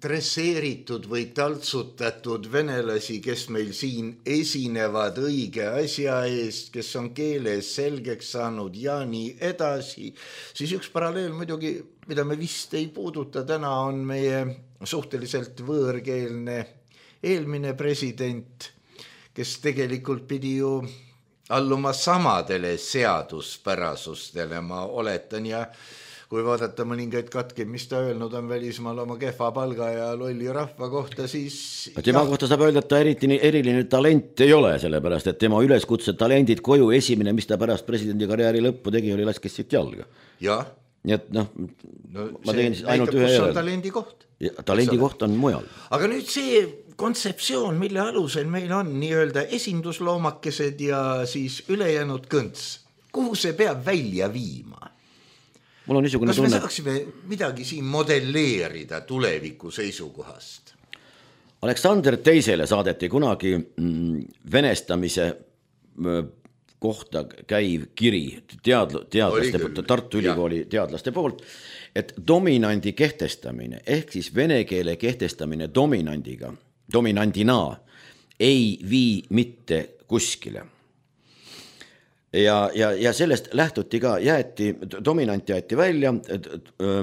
dresseeritud või taltsutatud venelasi, kes meil siin esinevad õige asja eest, kes on keeles selgeks saanud ja nii edasi, siis üks paralleel muidugi, mida me vist ei puuduta täna, on meie suhteliselt võõrkeelne eelmine president, kes tegelikult pidi ju alluma samadele seaduspärasustele, ma oletan, ja kui vaadata mõningaid katkeid, mis ta öelnud on välismaal oma kehva palga ja lolli rahva kohta, siis... Tema kohta saab öelda, et ta eriti eriline talent ei ole, sellepärast, et tema üleskutse talendid koju esimene, mis ta pärast presidendi karjääri lõppu tegi, oli laskes siit jalga. Jah. Nii et noh, no, ma tegin ainult ühe järel. Talendi koht. Ja, talendi koht on mujal. Aga nüüd see kontseptsioon, mille alusel meil on nii-öelda esindusloomakesed ja siis ülejäänud kõnts, kuhu see peab välja viima? Mul on niisugune kas tunne... me saaksime midagi siin modelleerida tuleviku seisukohast? Aleksander teisele saadeti kunagi venestamise kohta käiv kiri teadl- teadlaste poolt, Tartu Ülikooli teadlaste poolt, et dominandi kehtestamine ehk siis vene keele kehtestamine dominandiga, dominandina ei vii mitte kuskile. Ja, ja, ja sellest lähtuti ka, jäeti, dominant jäeti välja,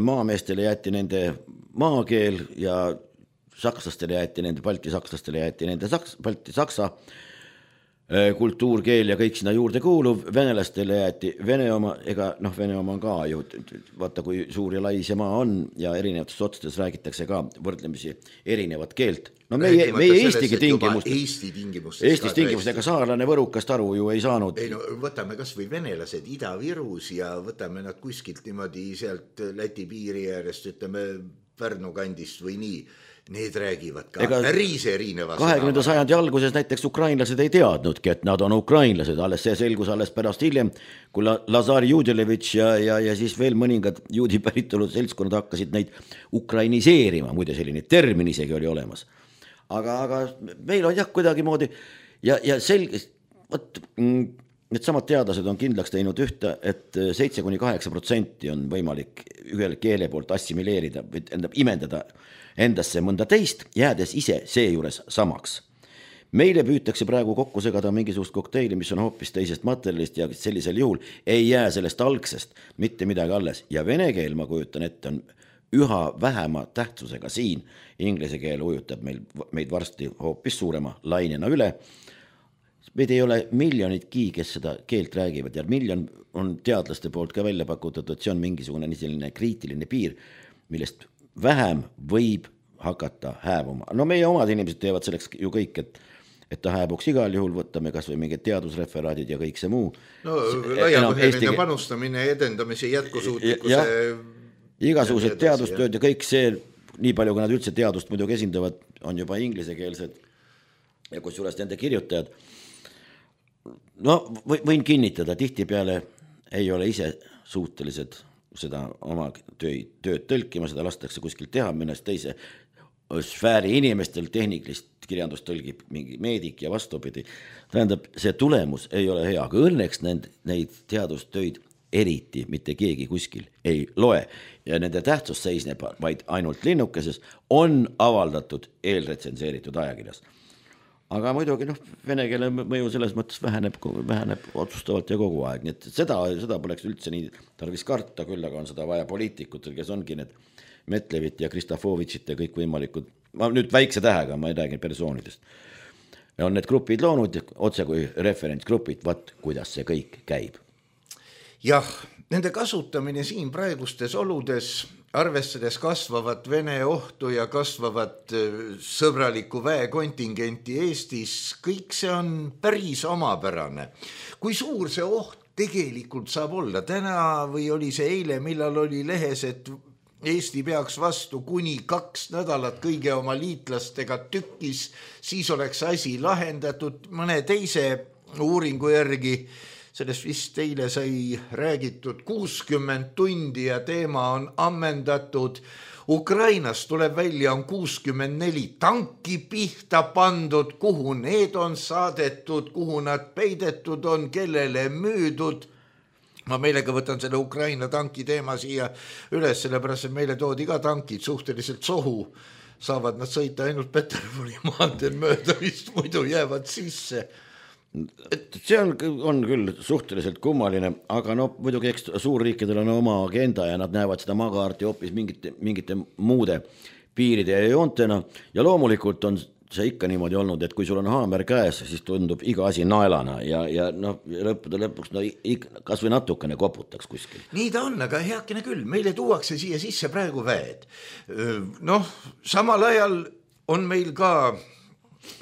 maameestele jäeti nende maakeel ja sakslastele jäeti nende, balti sakslastele jäeti nende saks, balti saksa kultuurkeel ja kõik sinna juurde kuuluv, venelastele jäeti Vene oma, ega noh, Vene oma on ka ju, vaata kui suur ja lai see maa on ja erinevates otsades räägitakse ka võrdlemisi erinevat keelt. No meie, meie Eestigi tingimustes, Eesti tingimustes, Eestis tingimustes, ega saarlane Võrukast aru ju ei saanud. Ei, no, võtame kas või venelased Ida-Virus ja võtame nad kuskilt niimoodi sealt Läti piiri äärest, ütleme Pärnu kandist või nii. Need räägivad ka päris erineva kahekümnenda sajandi alguses näiteks ukrainlased ei teadnudki, et nad on ukrainlased, alles see selgus alles pärast hiljem, kui Lazar Judelevitš ja, ja, ja siis veel mõningad juudi päritolu seltskonnad hakkasid neid ukrainiseerima, muide selline termin isegi oli olemas. Aga, aga meil on jah kuidagi moodi ja, ja selge, võt, need samad teadlased on kindlaks teinud ühte, et seitse kuni kaheksa protsenti on võimalik ühel keele poolt assimileerida, endab imendada endasse mõnda teist, jäädes ise seejuures samaks. Meile püütakse praegu kokku segada mingisugust kokteili, mis on hoopis teisest materjalist ja sellisel juhul ei jää sellest algsest mitte midagi alles. Ja vene keel, ma kujutan ette, on üha vähema tähtsusega siin. Inglise keel ujutab meil, meid varsti hoopis suurema lainena üle. Meid ei ole miljonitki, kes seda keelt räägivad ja miljon on teadlaste poolt ka välja pakutud, et see on mingisugune selline kriitiline piir, millest vähem võib hakata hääbuma. No meie omad inimesed teevad selleks ju kõik, et, et ta hääbuks igal juhul, võtame kas või mingid teadusreferaadid ja kõik see muu. No laiapõhjaline Eesti... panustamine, edendamise, jätkusuutlikkuse... Ja, igasugused ja teadustööd ja kõik see, nii palju kui nad üldse teadust muidugi esindavad, on juba inglisekeelsed ja kus juures nende kirjutajad. No võin kinnitada, tihtipeale ei ole ise suutelised seda oma tööd, tööd tõlkima, seda lastakse kuskil teha, minnast teise sfääri inimestel tehniklist kirjandust tõlgib mingi meedik ja vastupidi. Tähendab, see tulemus ei ole hea, aga õnneks neid, neid teadustöid eriti mitte keegi kuskil ei loe ja nende tähtsus seisneb vaid ainult linnukeses on avaldatud eelretsenseeritud ajakirjas. Aga muidugi noh, vene keele mõju selles mõttes väheneb, väheneb otsustavalt ja kogu aeg, nii et seda, seda poleks üldse nii tarvis karta, küll aga on seda vaja poliitikutel, kes ongi need Metlevit ja Kristofovitšit ja kõik võimalikud, ma nüüd väikse tähega, ma ei räägi persoonidest, on need grupid loonud otse kui referentsgrupid, vaat kuidas see kõik käib. Jah, nende kasutamine siin praegustes oludes arvestades kasvavat Vene ohtu ja kasvavat sõbralikku väekontingenti Eestis, kõik see on päris omapärane. Kui suur see oht tegelikult saab olla? Täna või oli see eile, millal oli lehes, et Eesti peaks vastu kuni kaks nädalat kõige oma liitlastega tükkis, siis oleks asi lahendatud mõne teise uuringu järgi. Sellest vist teile sai räägitud kuuskümmend tundi ja teema on ammendatud. Ukrainas tuleb välja on kuuskümmend neli tanki pihta pandud, kuhu need on saadetud, kuhu nad peidetud on, kellele müüdud. Ma meelega võtan selle Ukraina tanki teema siia üles, sellepärast et meile toodi ka tankid suhteliselt sohu. Saavad nad sõita ainult Peterburi maanteel mööda, vist muidu jäävad sisse. Et see on, on küll suhteliselt kummaline, aga no muidugi eks suurriikidel on oma agenda ja nad näevad seda maakaarti hoopis mingite, mingite muude piiride ja joontena ja loomulikult on see ikka niimoodi olnud, et kui sul on haamer käes, siis tundub iga asi naelana ja, ja no, lõppude lõpuks no, kas või natukene koputaks kuskil. Nii ta on, aga heakene küll, meile tuuakse siia sisse praegu väed. Noh, samal ajal on meil ka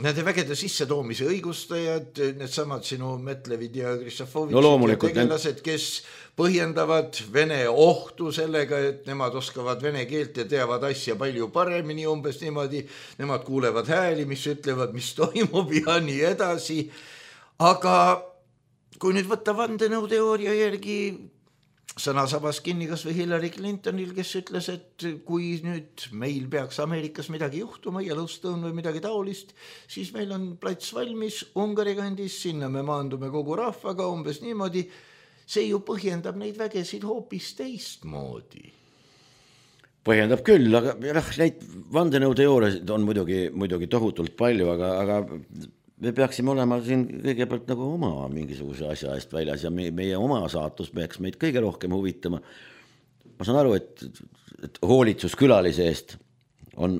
nende vägede sisse toomise õigustajad, need samad sinu Metlevid ja Kristofovitšid no, ja tegelased, kes põhjendavad Vene ohtu sellega, et nemad oskavad vene keelt ja teavad asja palju paremini, umbes niimoodi, nemad kuulevad hääli, mis ütlevad, mis toimub ja nii edasi. Aga kui nüüd võtta vandenõuteooria järgi, sõnasabas kinni kas või Hillary Clintonil, kes ütles, et kui nüüd meil peaks Ameerikas midagi juhtuma, Yellowstone või midagi taolist, siis meil on plats valmis Ungari kandis, sinna me maandume kogu rahvaga umbes niimoodi. See ju põhjendab neid vägesid hoopis teistmoodi. Põhjendab küll, aga noh, neid vandenõuteooriasid on muidugi, muidugi tohutult palju, aga, aga me peaksime olema siin kõigepealt nagu oma mingisuguse asja eest väljas ja meie, meie oma saatus peaks meid kõige rohkem huvitama. Ma saan aru, et, et hoolitsus külalise eest on,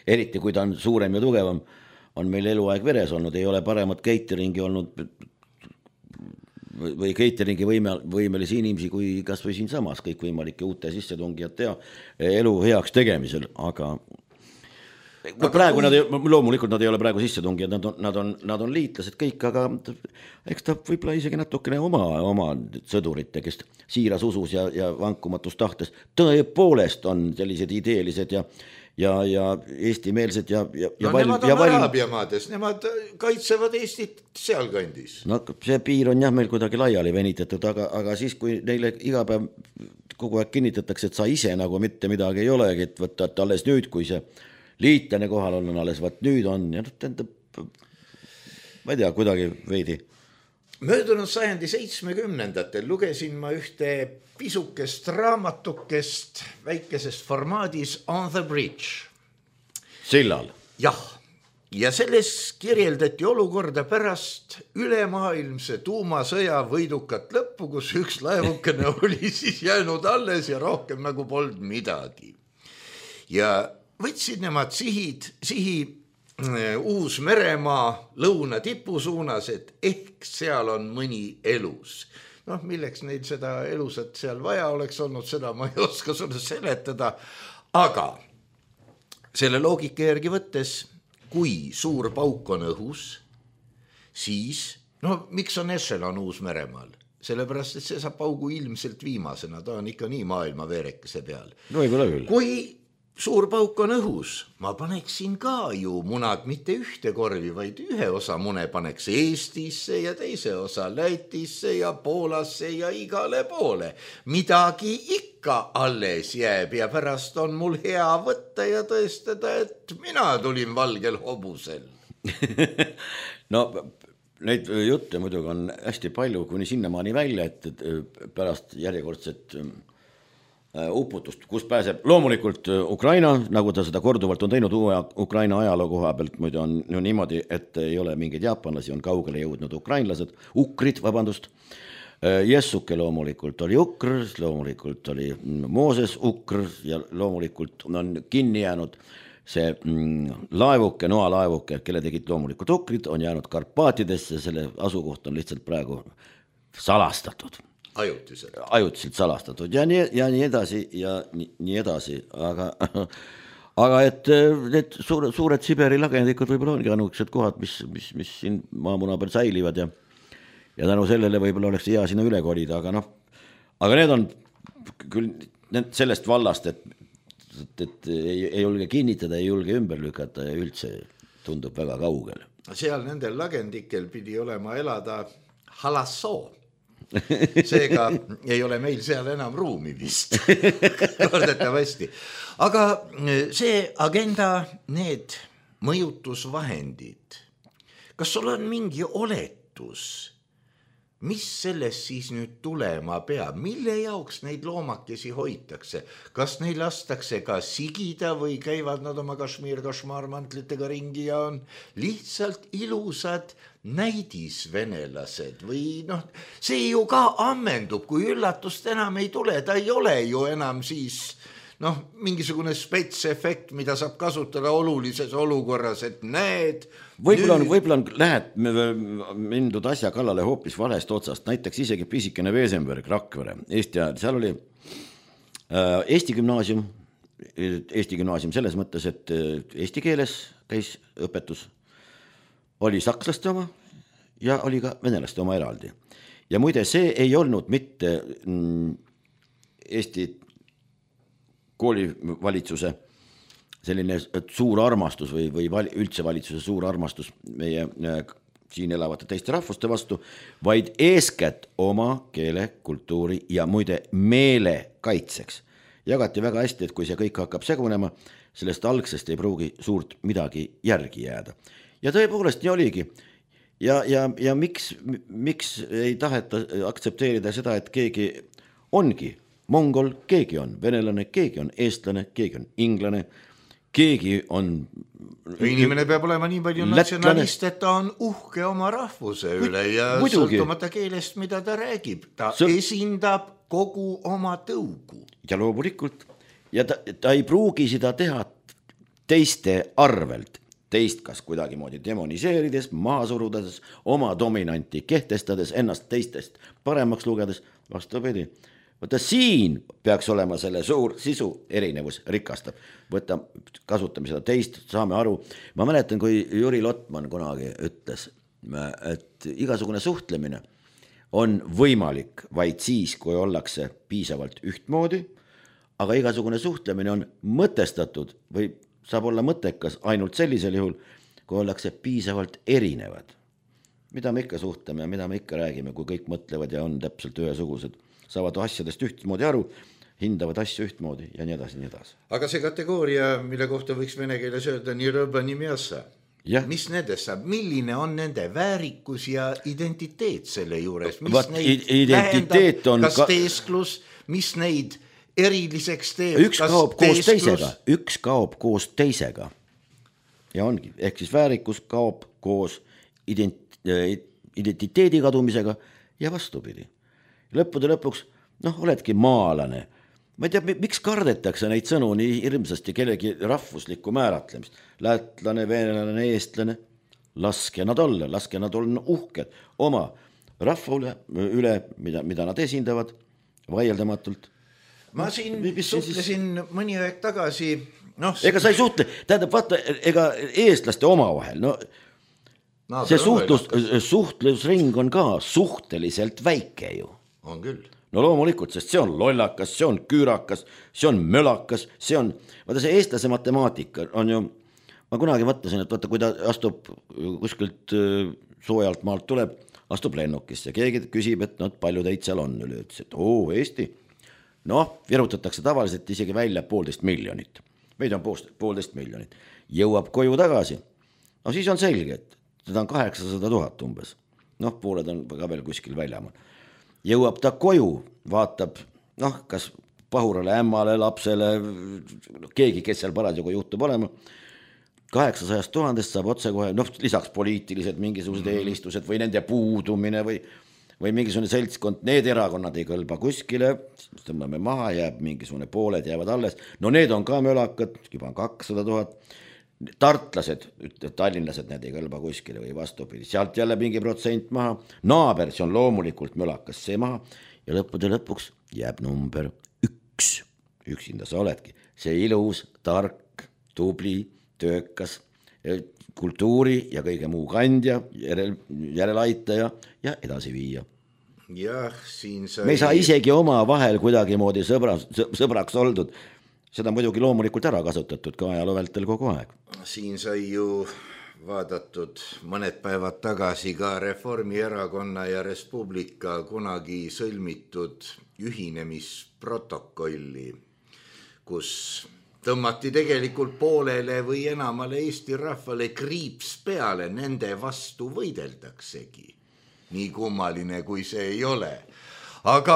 eriti kui ta on suurem ja tugevam, on meil eluaeg veres olnud, ei ole paremat cateringi olnud või cateringi võime, võimelisi inimesi kui kas või siin samas kõik võimalike uute sissetungijad tea elu heaks tegemisel, aga No, praegu kui... nad ei, loomulikult nad ei ole praegu sissetungijad, nad on, nad on, nad on liitlased kõik, aga eks ta võib-olla isegi natukene oma, oma sõdurite, kes siiras usus ja, ja vankumatus tahtes tõepoolest on sellised ideelised ja, ja, ja eestimeelsed ja, ja, no val, nemad on valm... Araabia maades, nemad kaitsevad Eestit seal kandis. No see piir on jah meil kuidagi laiali venitatud, aga, aga siis kui neile iga päev kogu aeg kinnitatakse, et sa ise nagu mitte midagi ei olegi, et võtta, et alles nüüd, kui see liitlane kohal on, on alles, vaat nüüd on ja tähendab, ma ei tea, kuidagi veidi. Möödunud sajandi seitsmekümnendatel lugesin ma ühte pisukest raamatukest väikesest formaadis On the Bridge. Sillal? Jah, ja selles kirjeldati olukorda pärast ülemaailmse tuumasõja võidukat lõppu, kus üks laevukene oli siis jäänud alles ja rohkem nagu polnud midagi. Ja võtsid nemad sihid, sihi Uus-Meremaa lõuna tipu suunas, et ehk seal on mõni elus. Noh, milleks neil seda elusat seal vaja oleks olnud, seda ma ei oska sulle seletada, aga selle loogika järgi võttes, kui suur pauk on õhus, siis, no miks on Echelon Uus-Meremaal? Sellepärast, et see saab paugu ilmselt viimasena, ta on ikka nii maailma veerekese peal. No ei ole küll. Kui suur pauk on õhus, ma paneksin ka ju munad mitte ühte korvi, vaid ühe osa mune paneks Eestisse ja teise osa Lätisse ja Poolasse ja igale poole. Midagi ikka alles jääb ja pärast on mul hea võtta ja tõestada, et mina tulin valgel hobusel. No neid jutte muidugi on hästi palju kuni sinnamaani välja, et pärast järjekordset uputust, kus pääseb loomulikult Ukraina, nagu ta seda korduvalt on teinud uue Ukraina ajaloo koha pealt, muidu on no niimoodi, et ei ole mingeid jaapanlasi, on kaugele jõudnud ukrainlased, ukrid, vabandust, Jessuke loomulikult oli ukr, loomulikult oli Mooses ukr ja loomulikult on kinni jäänud see laevuke, noalaevuke, kelle tegid loomulikult ukrid, on jäänud Karpaatidesse, selle asukoht on lihtsalt praegu salastatud. Ajutiselt. Ajutiselt salastatud ja nii, ja nii edasi ja nii, nii edasi, aga, aga et need suured, suured Siberi lagendikud võib-olla ongi anukesed kohad, mis, mis, mis siin maamuna peal säilivad ja, ja tänu sellele võib-olla oleks hea sinna üle kolida, aga noh, aga need on küll sellest vallast, et, et, et ei, ei julge kinnitada, ei julge ümber lükata ja üldse tundub väga kaugel. Seal nendel lagendikel pidi olema elada halassoo. Seega ei ole meil seal enam ruumi vist, kordetavasti. Aga see agenda, need mõjutusvahendid, kas sul on mingi oletus, mis sellest siis nüüd tulema peab, mille jaoks neid loomakesi hoitakse, kas neil lastakse ka sigida või käivad nad oma kašmiir-kašmaarmantlitega ringi ja on lihtsalt ilusad näidisvenelased või noh, see ju ka ammendub, kui üllatust enam ei tule, ta ei ole ju enam siis noh, mingisugune spetsefekt, mida saab kasutada olulises olukorras, et näed. Võib-olla on, võib-olla on lähed mindud asja kallale hoopis valest otsast, näiteks isegi pisikene Veesenberg, Rakvere, Eesti ajal, seal oli äh, Eesti gümnaasium, Eesti gümnaasium selles mõttes, et eesti keeles käis õpetus, oli sakslaste oma ja oli ka venelaste oma eraldi. Ja muide, see ei olnud mitte mm, Eesti koolivalitsuse selline suur armastus või, või üldse valitsuse suur armastus meie siin elavate teiste rahvuste vastu, vaid eeskätt oma keele, kultuuri ja muide meele kaitseks. Jagati väga hästi, et kui see kõik hakkab segunema, sellest algsest ei pruugi suurt midagi järgi jääda. Ja tõepoolest nii oligi. Ja, ja, ja miks, miks ei taheta aktsepteerida seda, et keegi ongi mongol, keegi on venelane, keegi on eestlane, keegi on inglane, keegi on... Inimene peab olema nii palju natsionalist, et ta on uhke oma rahvuse üle ja muidugi. Sõltumata keelest, mida ta räägib. Ta Sõl... esindab kogu oma tõugu. Ja loomulikult. Ja ta, ta ei pruugi seda teha teiste arvelt. Teist kas kuidagi moodi demoniseerides, maha surudes, oma dominanti kehtestades, ennast teistest paremaks lugedes, vastupidi. Võtta siin peaks olema selle suur sisu erinevus rikastab. Võtta, kasutame seda teist, saame aru. Ma mäletan, kui Jüri Lotman kunagi ütles, et igasugune suhtlemine on võimalik vaid siis, kui ollakse piisavalt ühtmoodi, aga igasugune suhtlemine on mõtestatud või saab olla mõttekas ainult sellisel juhul, kui ollakse piisavalt erinevad. Mida me ikka suhtleme ja mida me ikka räägime, kui kõik mõtlevad ja on täpselt ühesugused, saavad asjadest ühtmoodi aru, hindavad asju ühtmoodi ja nii edasi, nii edasi. Aga see kategooria, mille kohta võiks vene keeles öelda nii rõba, nii miassa, ja. Mis nendest saab? Milline on nende väärikus ja identiteet selle juures? Mis Vaat, neid identiteet tähendab, on kas ka... teesklus, mis neid eriliseks teeb? Üks kaob koos teisega, üks kaob koos teisega. Ja ongi, ehk siis väärikus kaob koos ident... identiteedi kadumisega ja vastupidi. Lõppude lõpuks, noh, oledki maalane. Ma ei tea, miks kardetakse neid sõnu nii hirmsasti kellegi rahvuslikku määratlemist. Lätlane, venelane, eestlane, laske nad olla, laske nad olla uhked oma rahva üle, üle mida, mida nad esindavad vaieldamatult. Ma siin suhtlesin mõni aeg tagasi. No, ega sa ei suhtle, tähendab, vaata, ega eestlaste oma vahel, no no, see suhtlus, suhtlusring on ka suhteliselt väike ju. On küll. No loomulikult, sest see on lollakas, see on küürakas, see on mölakas, see on, vaata see eestlase matemaatika on ju, ma kunagi mõtlesin, et vaata, kui ta astub kuskilt soojalt maalt tuleb, astub lennukisse ja keegi küsib, et no, palju teid seal on üle, ütles, et oo, Eesti. Noh, virutatakse tavaliselt isegi välja poolteist miljonit. Meid on poolteist miljonit. Jõuab koju tagasi. No siis on selge, et seda on kaheksasada tuhat umbes. Noh, pooled on ka veel kuskil väljamal. Jõuab ta koju, vaatab, noh, kas pahurale, ämmale, lapsele, keegi, kes seal parasjagu juhtub olema, kaheksasada tuhandest saab otse kohe, noh, lisaks poliitilised mingisugused mm-hmm. eelistused või nende puudumine või, või mingisugune seltskond, need erakonnad ei kõlba kuskile, tõmbame maha, jääb mingisugune pooled, jäävad alles, no need on ka mölakad, juba on kakssada tuhat, tartlased, tallinlased, need ei kõlba kuskile või vastupidi, sealt jälle mingi protsent maha, naaber, see on loomulikult mölakas see maha ja lõppude lõpuks jääb number üks, üksinda sa oledki, see ilus, tark, tubli, töökas, kultuuri ja kõige muu kandja, järel, järelaitaja ja edasi viia. Jah, siin sai... Me ei saa isegi oma vahel kuidagi moodi sõbra, sõbraks oldud, seda muidugi loomulikult ära kasutatud ka ajaloo vältel kogu aeg. Siin sai ju vaadatud mõned päevad tagasi ka Reformierakonna ja Res Publica kunagi sõlmitud ühinemisprotokolli, kus tõmmati tegelikult poolele või enamale Eesti rahvale kriips peale, nende vastu võideldaksegi. Nii kummaline, kui see ei ole. Aga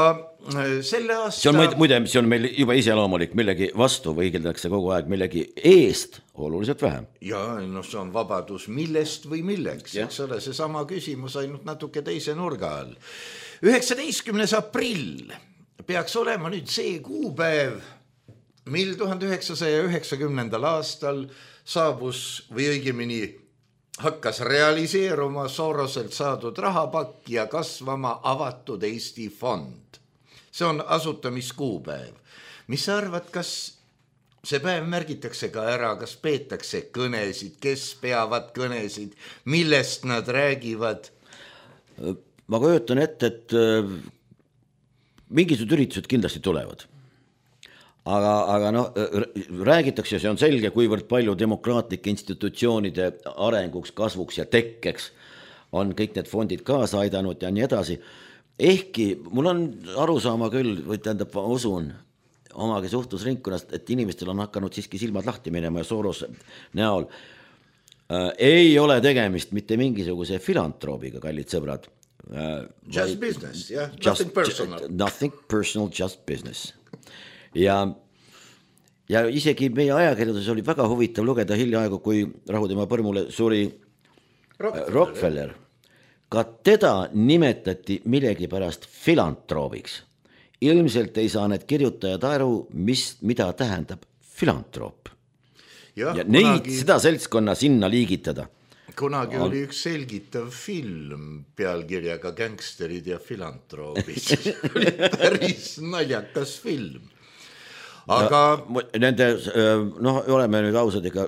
selle aasta... See on, muide, see on meil juba iseloomulik, millegi vastu võigeldakse kogu aeg, millegi eest oluliselt vähem. Ja, no see on vabadus millest või milleks, eks ole, see sama küsimus ainult natuke teise nurga all. üheksateistkümnes aprill peaks olema nüüd see kuupäev, mil tuhande üheksasaja üheksakümnendal aastal saabus või õigemini hakkas realiseeruma Soroselt saadud rahapakk ja kasvama avatud Eesti fond. See on asutamiskuupäev. Mis sa arvad, kas see päev märgitakse ka ära, kas peetakse kõnesid, kes peavad kõnesid, millest nad räägivad? Ma kujutan ette, et mingisugused üritused kindlasti tulevad. Aga, aga no, räägitakse, see on selge, kuivõrd palju demokraatlike institutsioonide arenguks, kasvuks ja tekkeks on kõik need fondid kaasa aidanud ja nii edasi. Ehkki mul on arusaama küll, või tähendab, ma usun omagi suhtlusringkonnast, et inimestel on hakanud siiski silmad lahti minema ja Soros näol äh, ei ole tegemist mitte mingisuguse filantroobiga, kallid sõbrad. Äh, just vaid, business, jah, yeah. nothing personal. Nothing personal, just business. Ja Ja isegi meie ajakirjanduses oli väga huvitav lugeda hiljaaegu, kui Rahutema põrmule suri Rockefeller. Rockefeller. Ka teda nimetati millegi pärast filantroobiks. Ilmselt ei saa need kirjutajad aru, mis, mida tähendab filantroop. Ja, ja neid, kunagi, seda seltskonna sinna liigitada. Kunagi on... oli üks selgitav film pealkirjaga Gangsterid ja filantroobid. Oli päris naljakas film. Aga nende, noh, oleme nüüd ausad ega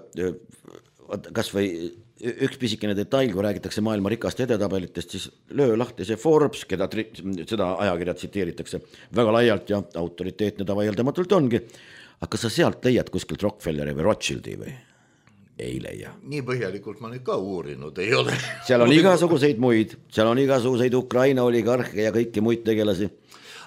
kas või üks pisikene detail, kui räägitakse maailma rikast edetabelitest, siis löö lahti see Forbes, keda seda ajakirja tsiteeritakse väga laialt ja autoriteetne ta vaieldamatult ongi. Aga sa sealt leiad kuskilt Rockefelleri või Rothschildi või? Ei leia. Nii põhjalikult ma nüüd ka uurinud ei ole. Seal on igasuguseid muid, seal on igasuguseid Ukraina oligarhe ja kõiki muid tegelasi.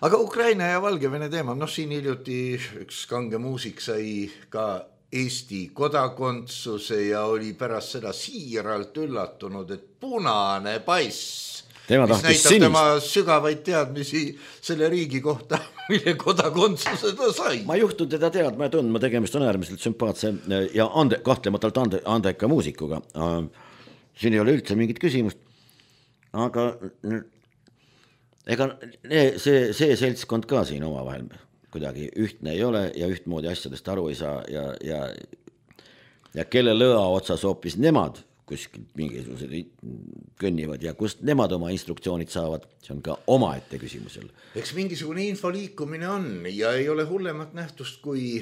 Aga Ukraina ja Valgevene teema, noh siin hiljuti üks kange muusik sai ka Eesti kodakondsuse ja oli pärast seda siiralt üllatunud, et punane pass, tema mis näitab sinist. Tema sügavaid teadmisi selle riigi kohta, mille kodakondsuse ta sai. Ma juhtun teda teadma ja tundma, tegemist on äärmiselt sümpaatse ja ande, kahtlematult ande, andeka muusikuga. Siin ei ole üldse mingit küsimust, aga... Ega see, see seltskond ka siin oma vahel kuidagi ühtne ei ole ja ühtmoodi asjadest aru ei saa ja, ja, ja kelle lõa otsas hoopis nemad kuskilt mingisugused kõnnivad ja kust nemad oma instruktsioonid saavad, see on ka omaette küsimusel. Eks mingisugune info liikumine on ja ei ole hullemat nähtust kui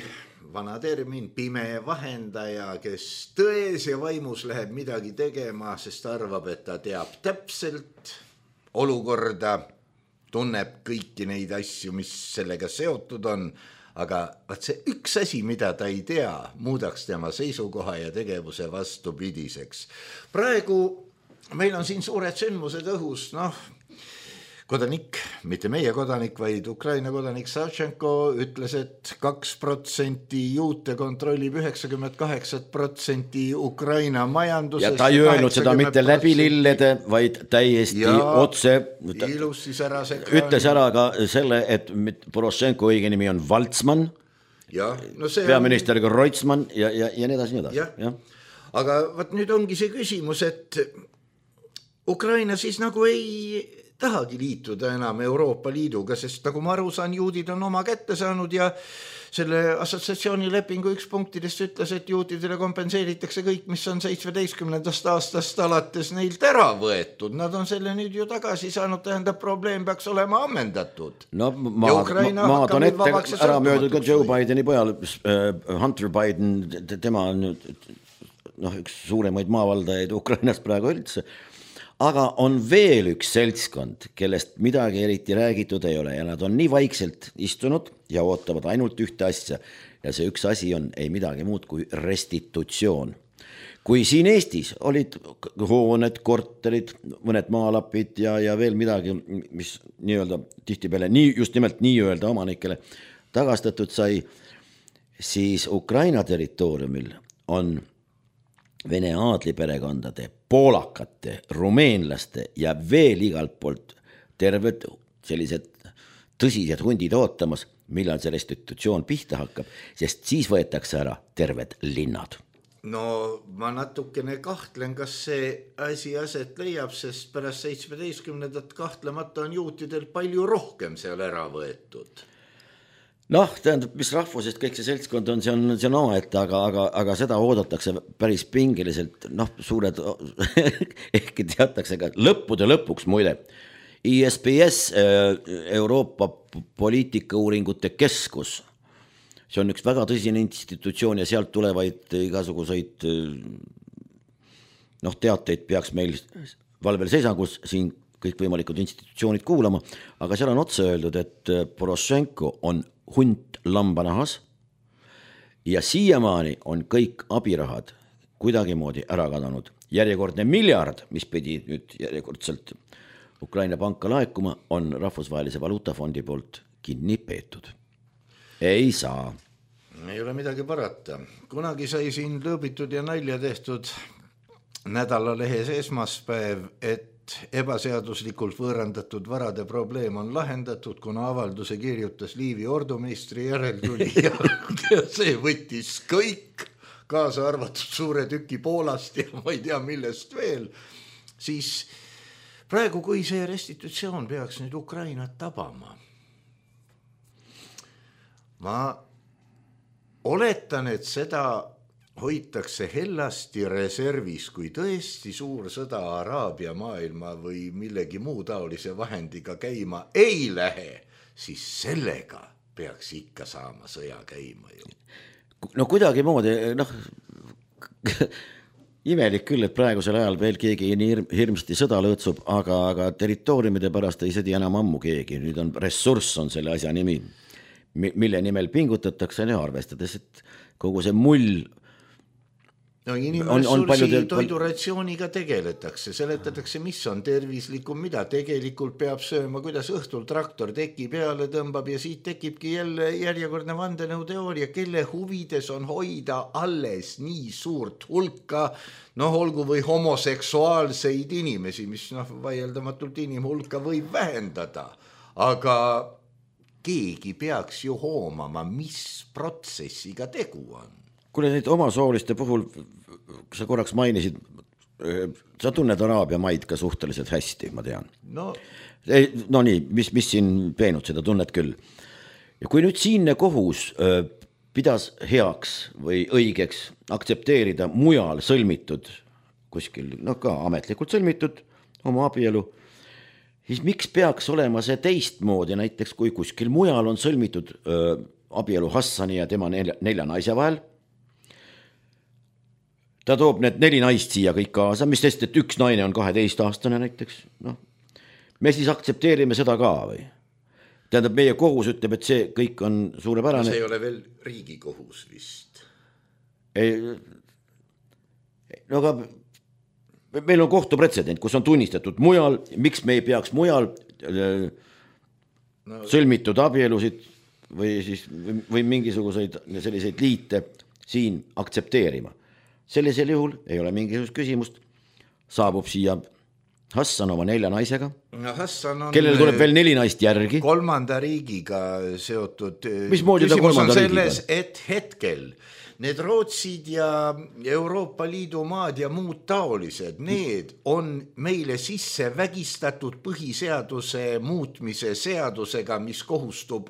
vana termin pime vahendaja, kes tões ja vaimus läheb midagi tegema, sest arvab, et ta teab täpselt olukorda, tunneb kõiki neid asju, mis sellega seotud on, aga vaat see üks asi, mida ta ei tea, muudaks tema seisukoha ja tegevuse vastupidiseks. Praegu meil on siin suured sündmused õhus, noh, kodanik, mitte meie kodanik, vaid Ukraina kodanik Savchenko ütles, et kaks protsenti juute kontrollib üheksakümmend kaheksa protsenti Ukraina majandusest. Ja ta ei öelnud seda mitte läbi lillede, vaid täiesti ja otse. Ilus siis ära sekka. Ütles ära ka selle, et Poroshenko õige nimi on Valtsman, ja, no see peaministeriga on... Reutemann ja, ja, ja nii edasi, nii edasi. Ja. Ja. Aga vaat nüüd ongi see küsimus, et Ukraina siis nagu ei... tahagi liituda enam Euroopa Liiduga, sest nagu ma aru saan, juudid on oma kätte saanud ja selle assotsiatsiooni lepingu üks punktidest ütles, et juudidele kompenseeritakse kõik, mis on seitsmeteistkümnendast aastast alates neilt ära võetud. Nad on selle nüüd ju tagasi saanud, tähendab, probleem peaks olema ammendatud. No maad, maad on ette ära möödud ka Joe Bideni pojal, Hunter Biden, tema on noh, üks suuremaid maavaldajaid Ukrainas praegu üldse. Aga on veel üks seltskond, kellest midagi eriti räägitud ei ole ja nad on nii vaikselt istunud ja ootavad ainult ühte asja ja see üks asi on ei midagi muud kui restitutsioon. Kui siin Eestis olid hooned, korterid, mõned maalapid ja, ja veel midagi, mis nii-öelda tihtipeale nii, just nimelt nii-öelda omanikele tagastatud sai, siis Ukraina territooriumil on Vene aadliperekondade, poolakate, rumeenlaste ja veel igalt poolt terved sellised tõsised hundid ootamas, millal see restitutsioon pihta hakkab, sest siis võetakse ära terved linnad. No ma natukene kahtlen, kas see asi aset leiab, sest pärast seitsmeteistkümnendat kahtlemata on juutidel palju rohkem seal ära võetud. Noh, tähendab, mis rahvusest kõik see seltskond on, see on, see on omaette, aga, aga, aga seda oodatakse päris pingiliselt, noh, suured, ehkki teatakse ka lõppude lõpuks muide. I S P S, Euroopa poliitikauuringute keskus, see on üks väga tõsine institutsioon ja sealt tulevaid igasuguseid noh, teateid peaks meil valvel seisangus siin kõik võimalikud institutsioonid kuulama, aga seal on otse öeldud, et Poroshenko on hunt lambanahas ja siiamaani on kõik abirahad kuidagimoodi ära kadanud järjekordne miljard, mis pidi nüüd järjekordselt Ukraina panka laekuma, on Rahvusvahelise Valuutafondi poolt kinni peetud. Ei saa. Ei ole midagi parata. Kunagi sai siin lõõbitud ja nalja tehtud nädalalehes esmaspäev, et ebaseaduslikult võõrandatud varade probleem on lahendatud, kuna avalduse kirjutas Liivi ordumeistri järeltuli ja see võttis kõik, kaasa arvatud suure tüki Poolast ja ma ei tea millest veel, siis praegu, kui see restitutsioon peaks nüüd Ukrainat tabama, ma oletan, et seda hoitakse hellasti reservis, kui tõesti suur sõda Araabia maailma või millegi muu taolise vahendiga käima ei lähe, siis sellega peaks ikka saama sõja käima ju. No kuidagi moodi, noh, imelik küll, et praegusel ajal veel keegi nii hirmsasti sõda lõõtsub, aga, aga territooriumide pärast ei sõdi enam ammu keegi, nüüd on ressurss on selle asja nimi, mille nimel pingutatakse ja arvestades, et kogu see mull no inimressursi toiduratsiooniga tegeletakse, seletatakse, mis on tervislikum, mida tegelikult peab sööma, kuidas õhtul traktor teki peale tõmbab ja siit tekibki jälle järjekordne vandenõuteooria, kelle huvides on hoida alles nii suurt hulka, noh, olgu või homoseksuaalseid inimesi, mis noh, vaieldamatult inimhulka võib vähendada, aga keegi peaks ju hoomama, mis protsessiga tegu on. Kuule neid omasooliste puhul, sa korraks mainisid, sa tunned Araabia maid ka suhteliselt hästi, ma tean. No, no nii, mis, mis siin peenud, seda tunned küll. Ja kui nüüd siinne kohus pidas heaks või õigeks aktsepteerida mujal sõlmitud, kuskil, noh ka ametlikult sõlmitud oma abielu, siis miks peaks olema see teistmoodi, näiteks kui kuskil mujal on sõlmitud öö, abielu Hassani ja tema nelja, nelja naise vahel, ta toob need neli naist siia kõik kaasa, mis sest, et üks naine on kaheteistaastane näiteks, noh, me siis aktsepteerime seda ka või? Tähendab, meie kohus ütleb, et see kõik on suurepärane. See ei ole veel riigi kohus vist. Ei, no aga meil on kohtupretsedent, kus on tunnistatud mujal, miks me ei peaks mujal no, sõlmitud abielusid või, siis, või, või mingisuguseid selliseid liite siin aktsepteerima. Sellisel juhul ei ole mingisugust küsimust, saabub siia Hassan oma nelja naisega, no, Hassan on kellel tuleb veel neli naist järgi. Kolmanda riigiga seotud. Mismoodi ta kolmanda riigiga? Selles, et hetkel need Rootsid ja Euroopa Liidu maad ja muud taolised, need on meile sisse vägistatud põhiseaduse muutmise seadusega, mis kohustub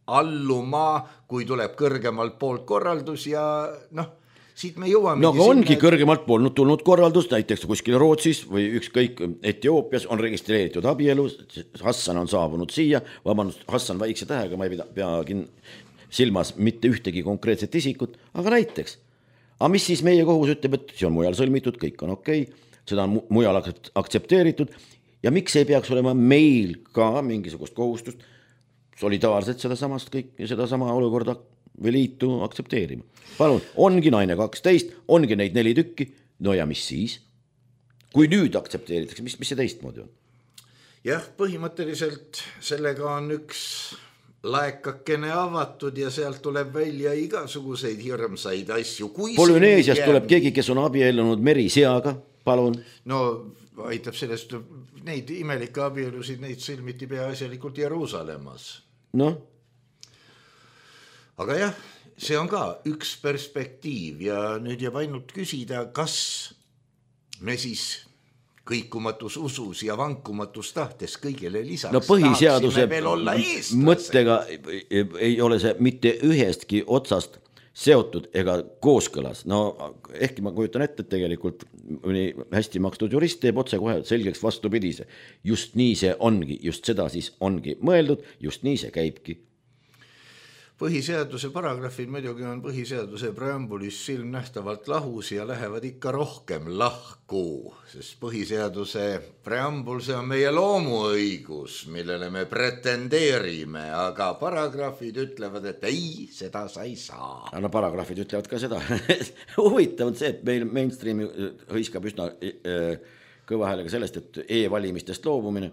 alluma, kui tuleb kõrgemalt poolt korraldus ja noh, siit me jõuame. No aga ongi sinna, kõrgemalt polnud tulnud korraldus, näiteks kuskil Rootsis või ükskõik Etioopias on registreeritud abielu, Hassan on saabunud siia, vabandust, Hassan väikse tähega, ma ei pea, peagi silmas mitte ühtegi konkreetset isikut, aga näiteks. Aga mis siis meie kohus ütleb, et see on mujal sõlmitud, kõik on okei, seda on mujal aktsepteeritud ja miks ei peaks olema meil ka mingisugust kohustust solidaarselt seda samast kõik, seda sama olukorda või liitu aktsepteerima. Palun, ongi naine kaksteist, ongi neid neli tükki, no ja mis siis? Kui nüüd aktsepteeritakse, mis, mis see teistmoodi on? Jah, põhimõtteliselt sellega on üks laekakene avatud ja sealt tuleb välja igasuguseid hirmsaid asju. Polüneesias jääb... tuleb keegi, kes on abiellunud meriseaga, palun. No aitab sellest, neid imelikke abielusid, neid sõlmiti peaasjalikult Jeruusalemmas. Noh? Aga jah, see on ka üks perspektiiv ja nüüd jääb ainult küsida, kas me siis kõikumatus usus ja vankumatus tahtes kõigele lisaks no põhiseaduse mõttega ei ole see mitte ühestki otsast seotud ega kooskõlas. No ehkki ma kujutan ette, et tegelikult hästi makstud jurist teeb otse kohe selgeks vastupidise. Just nii see ongi, just seda siis ongi mõeldud, just nii see käibki. põhiseaduse paragrahvid muidugi on põhiseaduse preambulis silmnähtavalt lahus ja lähevad ikka rohkem lahku, sest põhiseaduse preambul, see on meie loomuõigus, millele me pretendeerime, aga paragrahvid ütlevad, et ei, seda sa ei saa. No paragrahvid ütlevad ka seda. Huvitav on see, et meil mainstreami hõiskab üsna kõva häälega sellest, et e-valimistest loobumine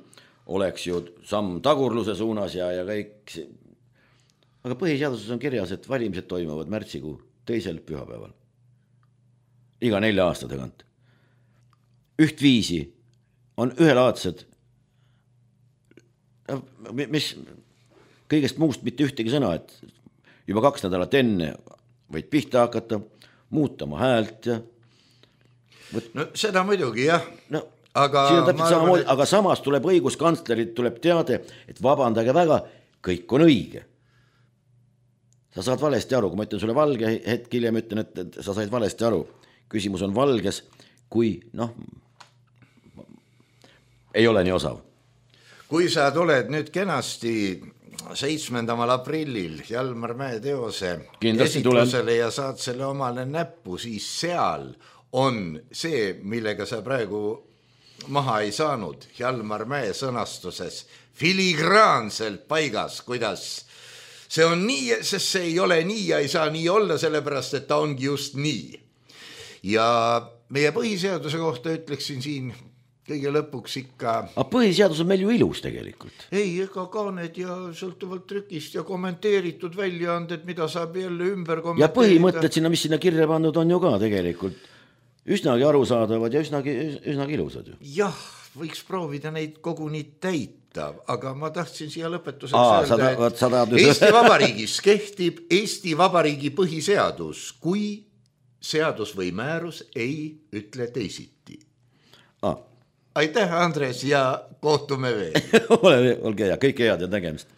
oleks ju samm tagurluse suunas ja, ja kõik. Aga põhiseaduses on kirjas, et valimised toimuvad märtsikuu teisel pühapäeval. Iga nelja aasta tagant. Üht viisi on ühelaadsed, mis kõigest muust mitte ühtegi sõna, et juba kaks nädalat enne võid pihta hakata, muutama häält ja... Võt... No seda muidugi, jah. No, aga, samamoodi, et... aga samas tuleb õiguskantslerit, tuleb teade, et vabandage väga, kõik on õige. Sa saad valesti aru, kui ma ütlen sulle valge, hetk hiljem ütlen, et, et sa said valesti aru. Küsimus on valges, kui noh, ei ole nii osav. Kui sa tuled nüüd kenasti seitsmendamal aprillil Hjalmar Mäe teose kindlasti esitusele tulen. Ja saad selle omale näppu, siis seal on see, millega sa praegu maha ei saanud Hjalmar Mäe sõnastuses filigraanselt paigas, kuidas see on nii, sest see ei ole nii ja ei saa nii olla, sellepärast, et ta ongi just nii. Ja meie põhiseaduse kohta ütleksin siin kõige lõpuks ikka... Aga põhiseadus on meil ju ilus tegelikult. Ei, ega kaaned ja sõltuvalt trükist ja kommenteeritud väljaanded, mida saab jälle ümber kommenteerida. Ja põhimõtted sinna, mis sinna kirja pandud on ju ka tegelikult üsnagi arusaadavad ja üsnagi, üsnagi ilusad ju. Jah, võiks proovida neid koguni täita. Aga ma tahtsin siia lõpetuseks Aa, öelda, et sada, Eesti Vabariigis kehtib Eesti Vabariigi põhiseadus, kui seadus või määrus ei ütle teisiti. Aa. Aitäh, Andres, ja kohtume veel. Ole, olge hea, kõike head ja nägemist.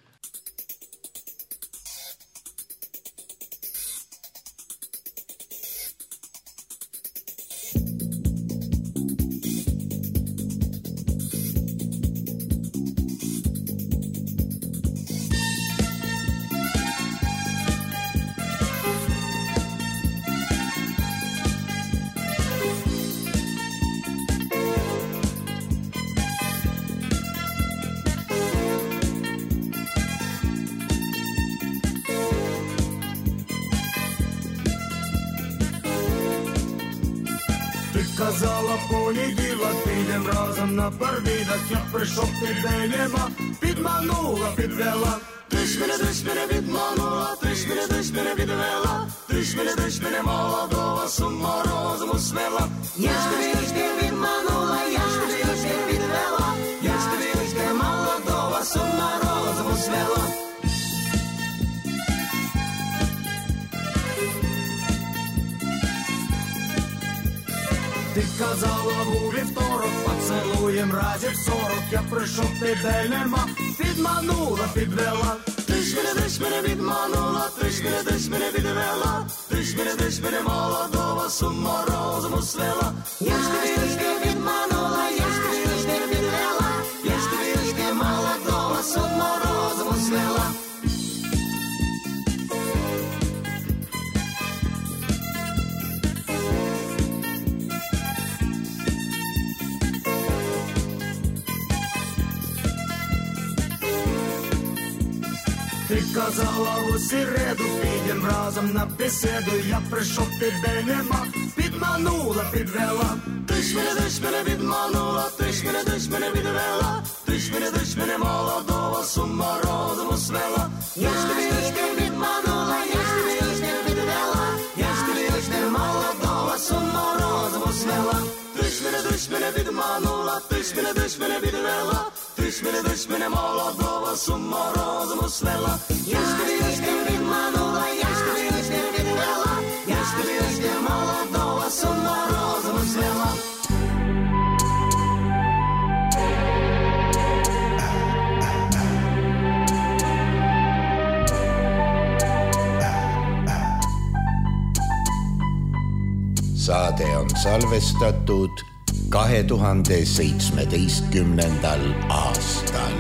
Казала понеділок, підем разом на парвідок. Я прийшов тебе нема, підманула, підвела. Ти ж мене, ти ж мене відманула, ти ж мене, ти ж мене відвела. Ти ж мене, ти ж мене молодого з ума розуму свела. Я ж тобі, я ж тобі відманула, я ж тобі, я ж тобі відвела. Я ж тобі, я ж тобі молодого з ума розуму свела. Ти казала у вівторок, поцелуєм разів сорок. Я прийшов, тебе нема, підманула, підвела. Ти ж мене, ти ж мене відманула, ти ж мене, ти ж мене відвела. Ти ж мене, ти ж мене молодого з ума розуму свела. Я ж тобі, я ж тобі відманула, я ж тобі, я ж тобі відвела. Я ж тобі, я ж тобі молодого з ума розуму свела. Ти казала у середу, підем разом на беседу. Я прийшов, тебе нема, підманула, підвела. Ти ж мене, ти ж мене відманула, ти ж мене, ти ж мене відвела. Ти ж мене, ти ж мене молодого з ума розуму свела. Я ж тобі, я ж тобі відманула, я ж тобі, я ж тобі відвела. Я ж тобі, я ж тобі молодого з ума розуму свела. Ти ж мене, ти ж мене відманула, ти ж мене, ти ж мене відвела. Ти ж мене, ти ж мене молодого з ума розуму свела. Я ж тобі, я ж тобі відманула, я ж тобі, я ж тобі відвела. Я ж тобі, я ж тобі молодого з ума розуму свела. Saade on salvestatud kahe tuhande seitsmeteistkümnendal aastal.